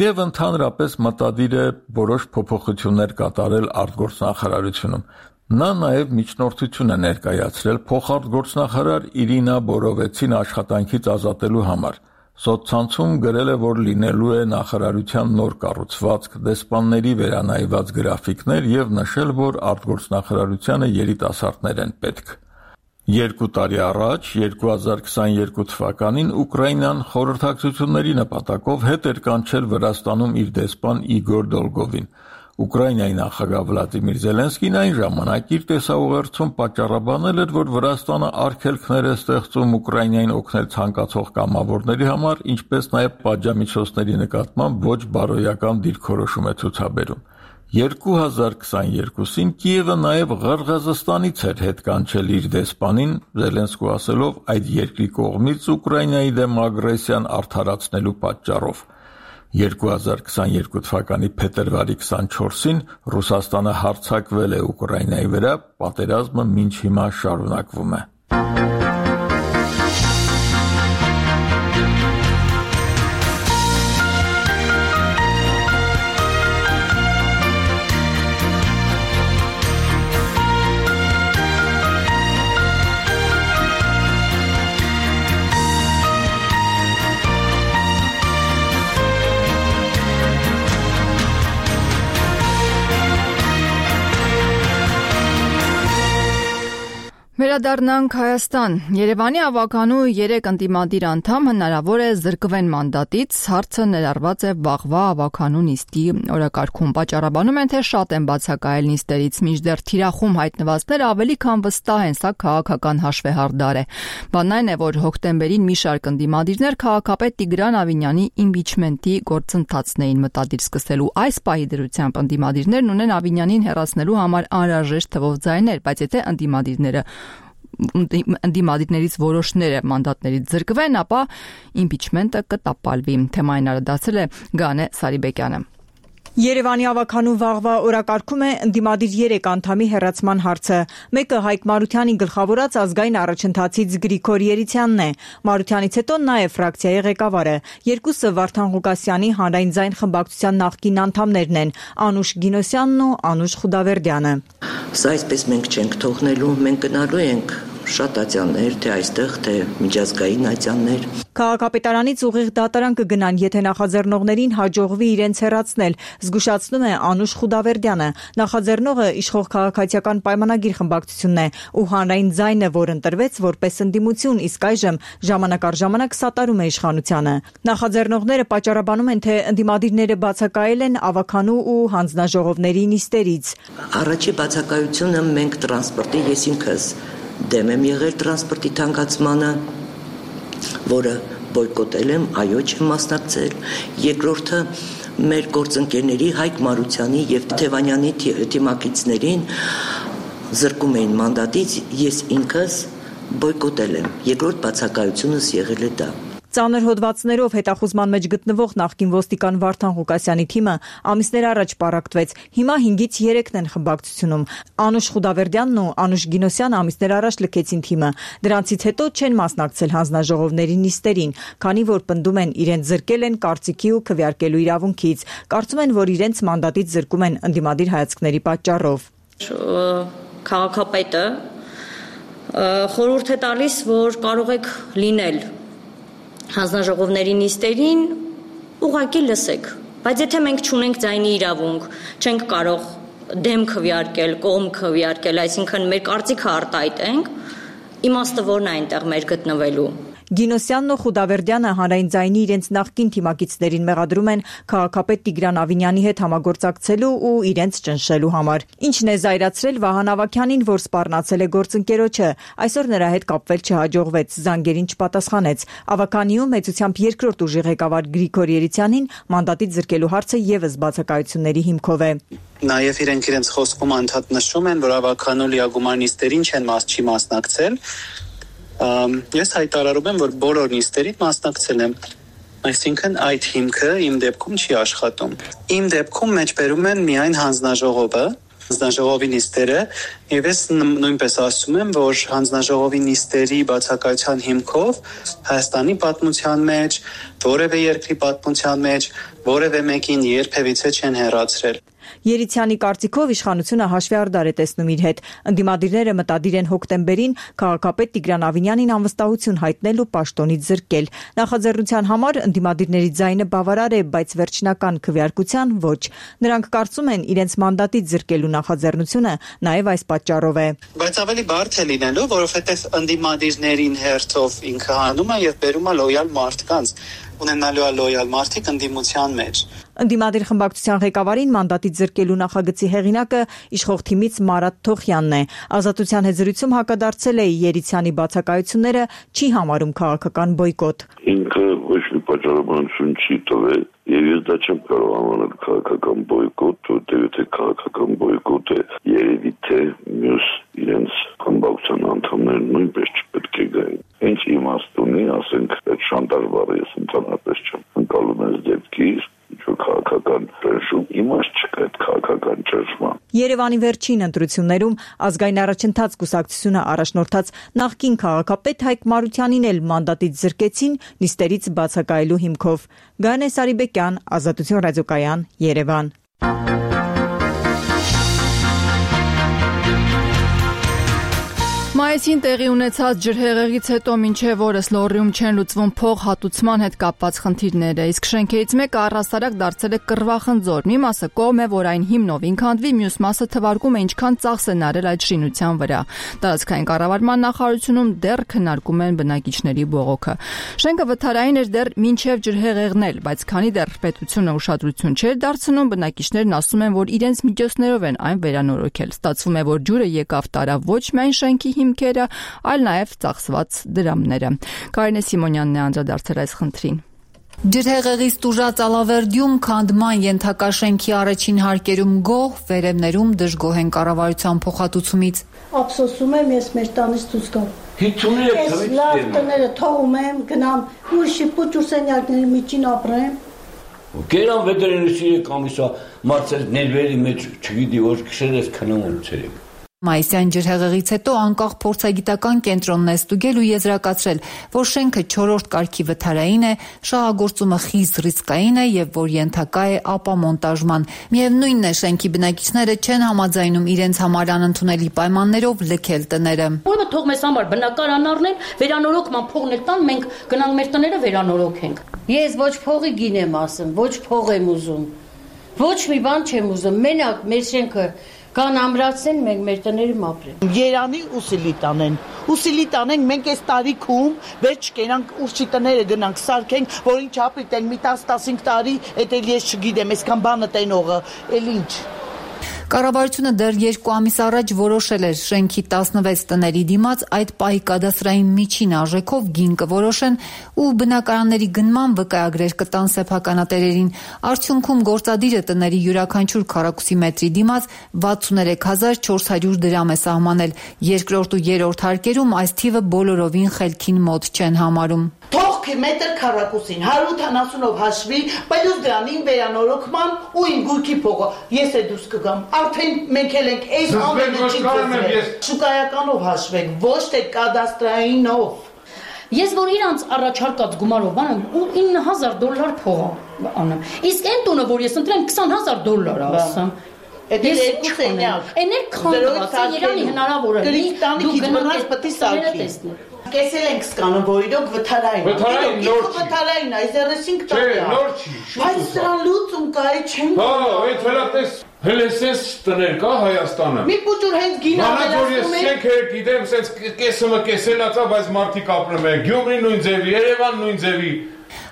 եւ ընդհանրապես մտադիր է որոշ փոփոխություններ կատարել արտգործնախարարությունում։ Նա նաև միջնորդություն է ներկայացրել փոխարտգործնախարար Իրինա Բորովեցին աշխատանքից ազատելու համար։ Սոցցանցում գրել է, որ լինելու է նախարարության նոր կառուցվածք, դեսպանների վերանայված գրաֆիկներ եւ նշել, որ արտգործնախարարությանը երիտասարդներ են պետք։ 2 տարի առաջ, 2022 թվականին Ուկրաինան խորհրդակցությունների նպատակով հետ էր կանչել Վրաստանում իր դեսպան Իգոր Դոլգովին։ Ուկրաինայի նախագահ Վլադիմիր Զելենսկին այն ժամանակ իր տեսաուղերձում պատճառաբանել էր, որ Վրաստանը արգելքներ է ստեղծում Ուկրաինային օգնել ցանկացող կամավորների համար, ինչպես նաև պատժամիջոցների նկատմամբ ոչ բարոյական դիրքորոշում է ցուցաբերում։ 2022-ին Կիևը նաև Ղրղըզստանից էր հետ կանչել իր դեսպանին, Զելենսկու ասելով այդ երկրի կողմից Ուկրաինայի դեմ ագրեսիան արդարացնելու պատճառով։ 2022 թվականի փետրվարի 24-ին Ռուսաստանը հարձակվել է Ուկրաինայի վրա, պատերազմը մինչ հիմա շարունակվում է։ Վերադառնանք Հայաստան։ Երևանի ավականու 3 ընդդիմադիր անդամ հնարավոր է զրկվեն մանդատից, հարցը ներառված է վաղվա ավականու նիստի օրակարգում։ Պատճառաբանում են, թե շատ են բացակայել նիստերից, մինչդեռ թիրախում հայտնվածները ավելի քան վստահ են, սա քաղաքական հաշվեհարդար է։ Բանն այն է, որ հոկտեմբերին մի շարք ընդդիմադիրներ քաղաքապետ Տիգրան Ավինյանի իմպիչմենտի գործընթացն էին մտադիր սկսելու։ Այս պահի դրությամբ ընդդիմադիրներն ունեն Ավինյանին հեռացնելու համար անհրաժեշտ թվով ձայներ, բայց եթե ընդդիմադիրներից որոշները մանդատներից զրկվեն, ապա իմպիչմենտը կտապալվի։ Թեմային անդրադարձել է Գանե Սարիբեկյանը։ Երևանի ավականու վաղվա օրակարգում է ընդդիմադիր 3 անդամի հեռացման հարցը։ Մեկը Հայկ Մարությանի գլխավորած ազգային առաջընթացից Գրիգոր Երիցյանն է։ Մարությանից հետո նաև ֆրակցիայի ղեկավարը։ Երկուսը Վարդան Ղուկասյանի Հանրային ձայն խմբակցության նախկին անդամներն են՝ Անուշ Գինոսյանն ու Անուշ Խուդավերդյանը։ Սա այսպես մենք չենք թողնելու, մենք գնալու ենք շատ ատյաններ, թե այստեղ, թե միջազգային ատյաններ։ Քաղաքապետարանից ուղիղ դատարան կգնան, եթե նախաձեռնողներին հաջողվի իրենց հեռացնել, զգուշացնում է Անուշ Խուդավերդյանը։ Նախաձեռնողը իշխող քաղաքացիական պայմանագիր խմբակցությունն է ու Հանրային ձայնը, որ ընտրվեց որպես ընդդիմություն, իսկ այժմ ժամանակ առ ժամանակ սատարում է իշխանությանը։ Նախաձեռնողները պատճառաբանում են, թե ընդդիմադիրները բացակայել են ավականու ու հանձնաժողովների նիստերից։ Առաջի բացակայությունը մենք տրանսպորտի, ես ինքս դեմ եմ եղել տրանսպորտի թանկացմանը, որը բոյկոտել եմ, այո չեմ մասնակցել։ Երկրորդը մեր գործընկերների Հայկ Մարությանի եւ Թևանյանի թիմակիցներին զրկում էին մանդատից, ես ինքս բոյկոտել եմ։ Երկրորդ բացակայությունս եղել է դա։ Ծանր հոդվածներով հետախուզման մեջ գտնվող նախկին ոստիկան Վարդան Ղուկասյանի թիմը ամիսներ առաջ պառակտվեց։ Հիմա 5-ից 3-ն են խմբակցությունում։ Անուշ Խուդավերդյանն ու Անուշ Գինոսյանը ամիսներ առաջ լքեցին թիմը։ Դրանցից հետո չեն մասնակցել հանձնաժողովների նիստերին, քանի որ պնդում են իրենց զրկել են կարծիքի ու քվեարկելու իրավունքից։ Կարծում են, որ իրենց մանդատից զրկում են ընդդիմադիր հայացքների պատճառով։ Քաղաքապետը խորհուրդ է տալիս, որ կարող եք լինել հանձնաժողովների նիստերին, ուղղակի լսեք, բայց եթե մենք չունենք ձայնի իրավունք, չենք կարող դեմ քվեարկել, կողմ քվեարկել, այսինքն մեր կարծիքը արտահայտենք, իմաստը որն է այնտեղ մեր գտնվելու։ Գինոսյանն ու Խուդավերդյանը Հանրային ձայնի իրենց նախկին թիմակիցներին մեղադրում են քաղաքապետ Տիգրան Ավինյանի հետ համագործակցելու ու իրենց ճնշելու համար։ Ինչն է զայրացրել Վահան Ավագյանին, որ սպառնացել է գործընկերոջը։ Այսօր նրա հետ կապվել չհաջողվեց, զանգերին չպատասխանեց։ Ավագանիում մեծությամբ երկրորդ ուժի ղեկավար Գրիգոր Երիցյանին մանդատից զրկելու հարցը եւս բացակայությունների հիմքով է։ Նաև իրենց խոսքում անդադ նշում են, որ ավականու լիագումար նիստերին չի մասնակցել։ Ես հայտարարում եմ, որ բոլոր նիստերին մասնակցել եմ, այսինքն այդ հիմքը իմ դեպքում չի աշխատում։ Իմ դեպքում մեջբերում են միայն հանձնաժողովի նիստերը, եւ ես նույնպես ասում եմ, որ հանձնաժողովի նիստերի բացակայության հիմքով Հայաստանի պատմության մեջ, որևէ երկրի պատմության մեջ, որևէ մեկին երբևիցե չեն հեռացրել։ Երիցյանի կարծիքով իշխանությունը հաշվեհարդար է տեսնում իր հետ։ Ընդդիմադիրները մտադիր են հոկտեմբերին քաղաքապետ Տիգրան Ավինյանին անվստահություն հայտնել ու պաշտոնից զրկել։ Նախաձեռնության համար ընդդիմադիրների ձայնը բավարար է, բայց վերջնական քվեարկության ոչ։ Նրանք կարծում են, իրենց մանդատից զրկելու նախաձեռնությունը նաև այս պատճառով է։ Բայց ավելի բարդ է լինելու, որովհետև ընդդիմադիրներին հերթով ինքը հանում է եւ բերում է լոյալ մարդկանց։ ունենալու է լոյալ մարդիկ ընդդիմության մեջ։ Ընդդիմադիր խմբակցության ղեկավարին մանդատից զրկելու նախագծի հեղինակը իշխող թիմից Մարատ Թոխյանն է։ Ազատության հետ զրույցում հակադարձել է Երիցյանի բացակայությունները, չի համարում քաղաքական բոյկոտ։ Ինքը ոչ մի պատճառաբանություն չի տվել, եւ ես դա չեմ կարող անվանել քաղաքական բոյկոտ, որտեղ եթե քաղաքական բոյկոտ է, երևի թե մյուս իրենց խմբակցության անդամները նույնպես չպետք է գային։ Ինչ իմաստ ունի, ասենք, այդ շանտաժ բառը ես ընդհանրապես չեմ ընկալում այս դեպքից, ինչ-որ քաղաքական ճնշում, իմաստ չկա այդ քաղաքական ճնշման։ Երևանի վերջին ընտրություններում Ազգային առաջընթաց կուսակցությունը առաջնորդած նախկին քաղաքապետ Հայկ Մարությանին էլ մանդատից զրկեցին նիստերից բացակայելու հիմքով։ Գայանե Սարիբեկյան, Ազատություն ռադիոկայան, Երևան։ Մայիսին տեղի ունեցած ջրհեղեղից հետո մինչև օրս Լոռիում չեն լուծվում փող հատուցման հետ կապված խնդիրները, իսկ շենքերից մեկը առհասարակ դարձել է կռվախնձոր։ Մի մասը կողմ է, որ այն հիմնովին քանդվի, մյուս մասը թվարկում է ինչքան ծախս են արել այդ շինության վրա։ Տարածքային կառավարման նախարարությունում դեռ քննարկում են բնակիչների բողոքը։ Շենքը վթարային էր դեռ մինչև ջրհեղեղն էլ, բայց քանի դեռ պետությունը ուշադրություն չէր դարձնում, բնակիչներն ասում են, որ իրենց միջոցներով են այն վերանորոգել։ Ստացվում է, որ ջուրը եկավ տարավ ոչ միայն շենքի հիմքերը, այլ նաև ծախսված դրամները։ Կարինե Սիմոնյանն է անդրադարձել այս խնդրին։ Ջրհեղեղից տուժած Ալավերդիում քանդման ենթակա շենքի առաջին հարկերում գոհ, վերևներում դժգոհ են կառավարության փոխհատուցումից։ Ափսոսում եմ, ես մեր տանից դուրս գամ։ Ես լավ տները թողում եմ, գնամ ուրիշի փոճուրսենյակների միջին ապրեմ։ Գերան վետերինարի կամիսա մարցել ներվերի մեջ, չգիտի որ քշերես քնում ցերեկ։ Մայիսյան ջրհեղեղից հետո անկախ փորձագիտական կենտրոնն է ստուգել ու եզրակացրել, որ շենքը 4-րդ կարգի վթարային է, շահագործումը խիստ ռիսկային է եւ որ ենթակա է ապամոնտաժման։ Միևնույնն է, շենքի բնակիչները չեն համաձայնում իրենց համար անընդունելի պայմաններով լքել տները։ Ուրեմն թող մեզ համար բնակարան առնեն, վերանորոգման փողն էլ տան, մենք գնանք մեր տները վերանորոգենք։ Ես ոչ փողի գին եմ ասում, ոչ փող եմ ուզում։ Ոչ մի բան չեմ ուզում, մենակ մեր շենքը կան ամրացեն, մենք մեր տներում ապրենք։ Երանի ու Սիլիտանեն։ Ու Սիլիտանենք մենք այս տարիքում վերջ կենանք ուրիշի տները գնանք սարքենք, որ ինչ ապրիտեն մի 10-15 տարի, էդ էլ ես չգիտեմ, այսքան բանը տենողը, էլ ինչ։ Կառավարությունը դեռ 2 ամիս առաջ որոշել էր շենքի 16 տների դիմաց այդ պահի կադաստրային միջին արժեքով գին կորոշեն ու բնակարանների գնման վկայագրեր կտան սեփականատերերին։ Արդյունքում գործադիրը տների յուրաքանչյուր քառակուսի մետրի դիմաց 63400 դրամ է սահմանել։ Երկրորդ ու երրորդ հարկերում այս թիվը բոլորովին խելքին մոտ չեն համարում։ Թողքի մետր քառակուսին 170-ով հաշվի, պլյուս դրանին վերանորոգման ու իմ գույքի փողը։ Ես է դուրս կգամ։ Արդեն մենք էլ ենք այս ամենը չի կազմել։ Շուկայականով հաշվեք, ոչ թե կադաստրայինով։ Ես որ իրանց առաջարկած գումարով բանեմ ու $9000 փող անեմ։ Իսկ այն տունը, որ ես ընտրեմ $20000 ասեմ։ Էդ էլ երկու սենյակ։ Էն էլ քանդված է, Երանի հնարավոր է։ Դու գնաս պետք է սարքի։ Կեսել ենք սկանում, որ իրոք վթարային։ Վթարային նոր չի։ Վթարային, այս 35 տարի է։ Նոր չի։ Բայց դրան լուծում կա, չեմ։ Հա, այդ հելատես հելեսես տներ կա Հայաստանը։ Մի փոճուր հենց գին ավելացնում են։ Մանած որ ես շենք գիտեմ, սենց կեսումը կեսելացա, բայց մարդիկ ապրում են։ Գյումրի նույն ձևի, Երևան նույն ձևի։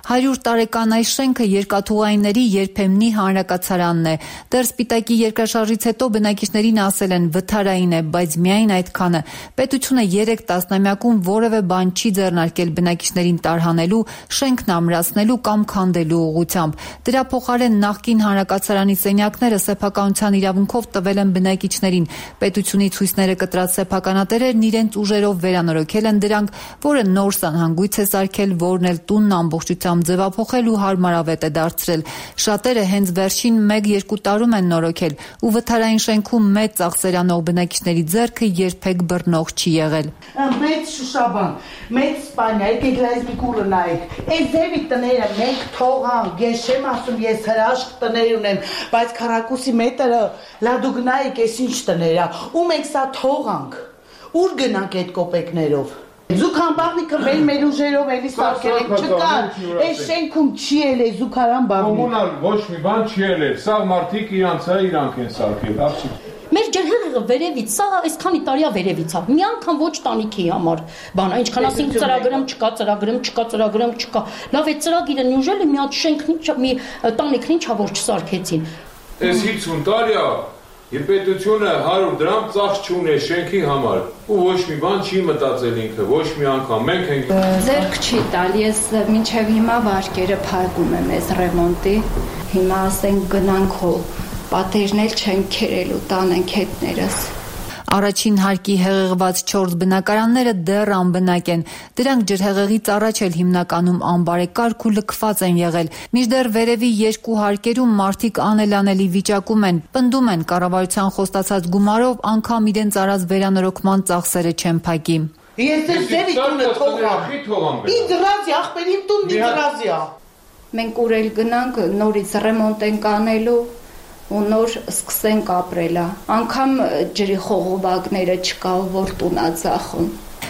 100 տարեկան այս շենքը երկաթուղայինների երբեմնի հանրակացարանն է։ Դեռ Սպիտակի երկրաշարժից հետո բնակիչներին ասել են վթարային է, բայց միայն այդքանը։ Պետությունը 3 տասնամյակում որևէ բան չի ձեռնարկել բնակիչներին տարհանելու, շենքն ամրացնելու կամ քանդելու ուղղությամբ։ Դրա փոխարեն նախկին հանրակացարանի սենյակները սեփականության իրավունքով տվել են բնակիչներին։ Պետությունից հույսները կտրած սեփականատերերն իրենց ուժերով վերանորոգել են դրանք, որը նոր սանհանգույց է սարքել, որն էլ տունն ամբողջությամբ ձևափոխել ու հարմարավետ է դարձրել։ Շատերը հենց վերջին 1-2 տարում են նորոգել ու վթարային շենքում մեծ ծախսեր անող բնակիչների ձեռքը երբեք բռնող չի եղել։ Մեծ Շուշաբան, մեծ Սպանիա, եկեք լայզմիկ ուռը նայեք։ Այս ձևի տները մենք թողանք, ես չեմ ասում, ես հրաշք տներ ունեմ, բայց քառակուսի մետրը լա դու գնայեք, այս ինչ տներ է, ու մենք սա թողանք։ Ուր գնանք այդ կոպեկներով։ Զուքան բաղնիկը մեր ուժերով էլի սարքել ենք, չկան, այս շենքում չի էլ է զուքարան բաղնիկ։ Կոմունալ ոչ մի բան չի էլ է, սաղ մարդիկ իրանք են սարքել, Մեր ջրհեղեղը տեղը վերևից, սա այսքանի տարիա վերևից է։ Մի անգամ ոչ տանիքի համար, բան, ինչքան ասենք ծրագրում չկա։ Լավ է ծրագիրը նյուժել է մի հատ շենքն մի տանիքն ինչա որ չսարքեցին։ Այս 50 տարիա եւ պետությունը 100 դրամ ծախս չունի շենքի համար ու ոչ մի բան չի մտածել ինքը, ոչ մի անգամ մենք ենք ձեռք չի տալ, ես մինչեւ հիմա վարկերը փակում եմ այս ռեմոնտի, հիմա ասենք գնանք հո պատերն էլ չենք քերելու, տանենք հետներս։ Առաջին հարկի հեղեղված 4 բնակարանները դեռ անբնակ են։ Դրանք ջրհեղեղից առաջ էլ հիմնականում անբարեկարգ ու լքված են եղել։ Մինչդեռ վերևի 2 հարկերում մարդիկ անելանելի վիճակում են, պնդում են կառավարության խոստացած գումարով անգամ իրենց արած վերանորոգման ծախսերը չեն փակի։ Ես ձեր տունը թողամ։ Ինձ դրազի ախպերին տուն մի դրազիա։ Մենք ուր էլ գնանք նորից ռեմոնտ ենք անելու ու նոր սկսենք ապրելա։ Անկամ ջրի խողովակները չկա, որ տունա ծախում։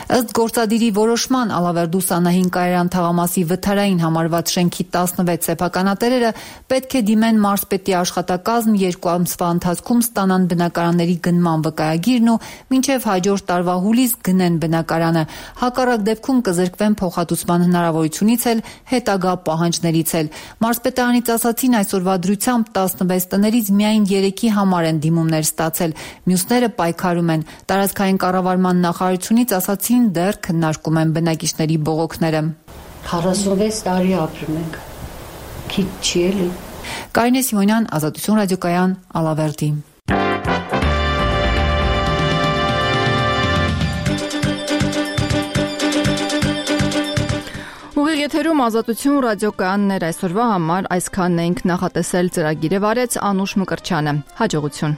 Ըստ գործադիրի որոշման Ալավերդու Սանահին կայարան թաղամասի վթարային համարված շենքի 16 սեփականատերերը պետք է դիմեն մարզպետի աշխատակազմ 2 ամսվա ընթացքում ստանան բնակարանների գնման վկայագիրն ու մինչև հաջորդ տարվա հուլիս գնեն բնակարանը։ Հակառակ դեպքում կզրկվեն փոխհատուցման հնարավորությունից էլ հետագա պահանջներից էլ։ Մարզպետարանից ասացին այսօրվա դրությամբ 16 տներից միայն 3-ի համար են դիմումներ ստացել, մյուսները պայքարում են։ Տարածքային կառավարման նախարարությունից ասացին դեռ քննարկում են բնակիչների բողոքները։ 46 տարի ապրում ենք։ Քիչ չի էլի։ Կարինե Սիմոնյան, Ազատություն ռադիոկայան, Ալավերդի։ Ուղիղ եթերում Ազատություն ռադիոկայաններ այսօրվա համար այսքանն ենք նախատեսել ծրագիրը վարեց Անուշ Մկրտչյանը։ Հաջողություն։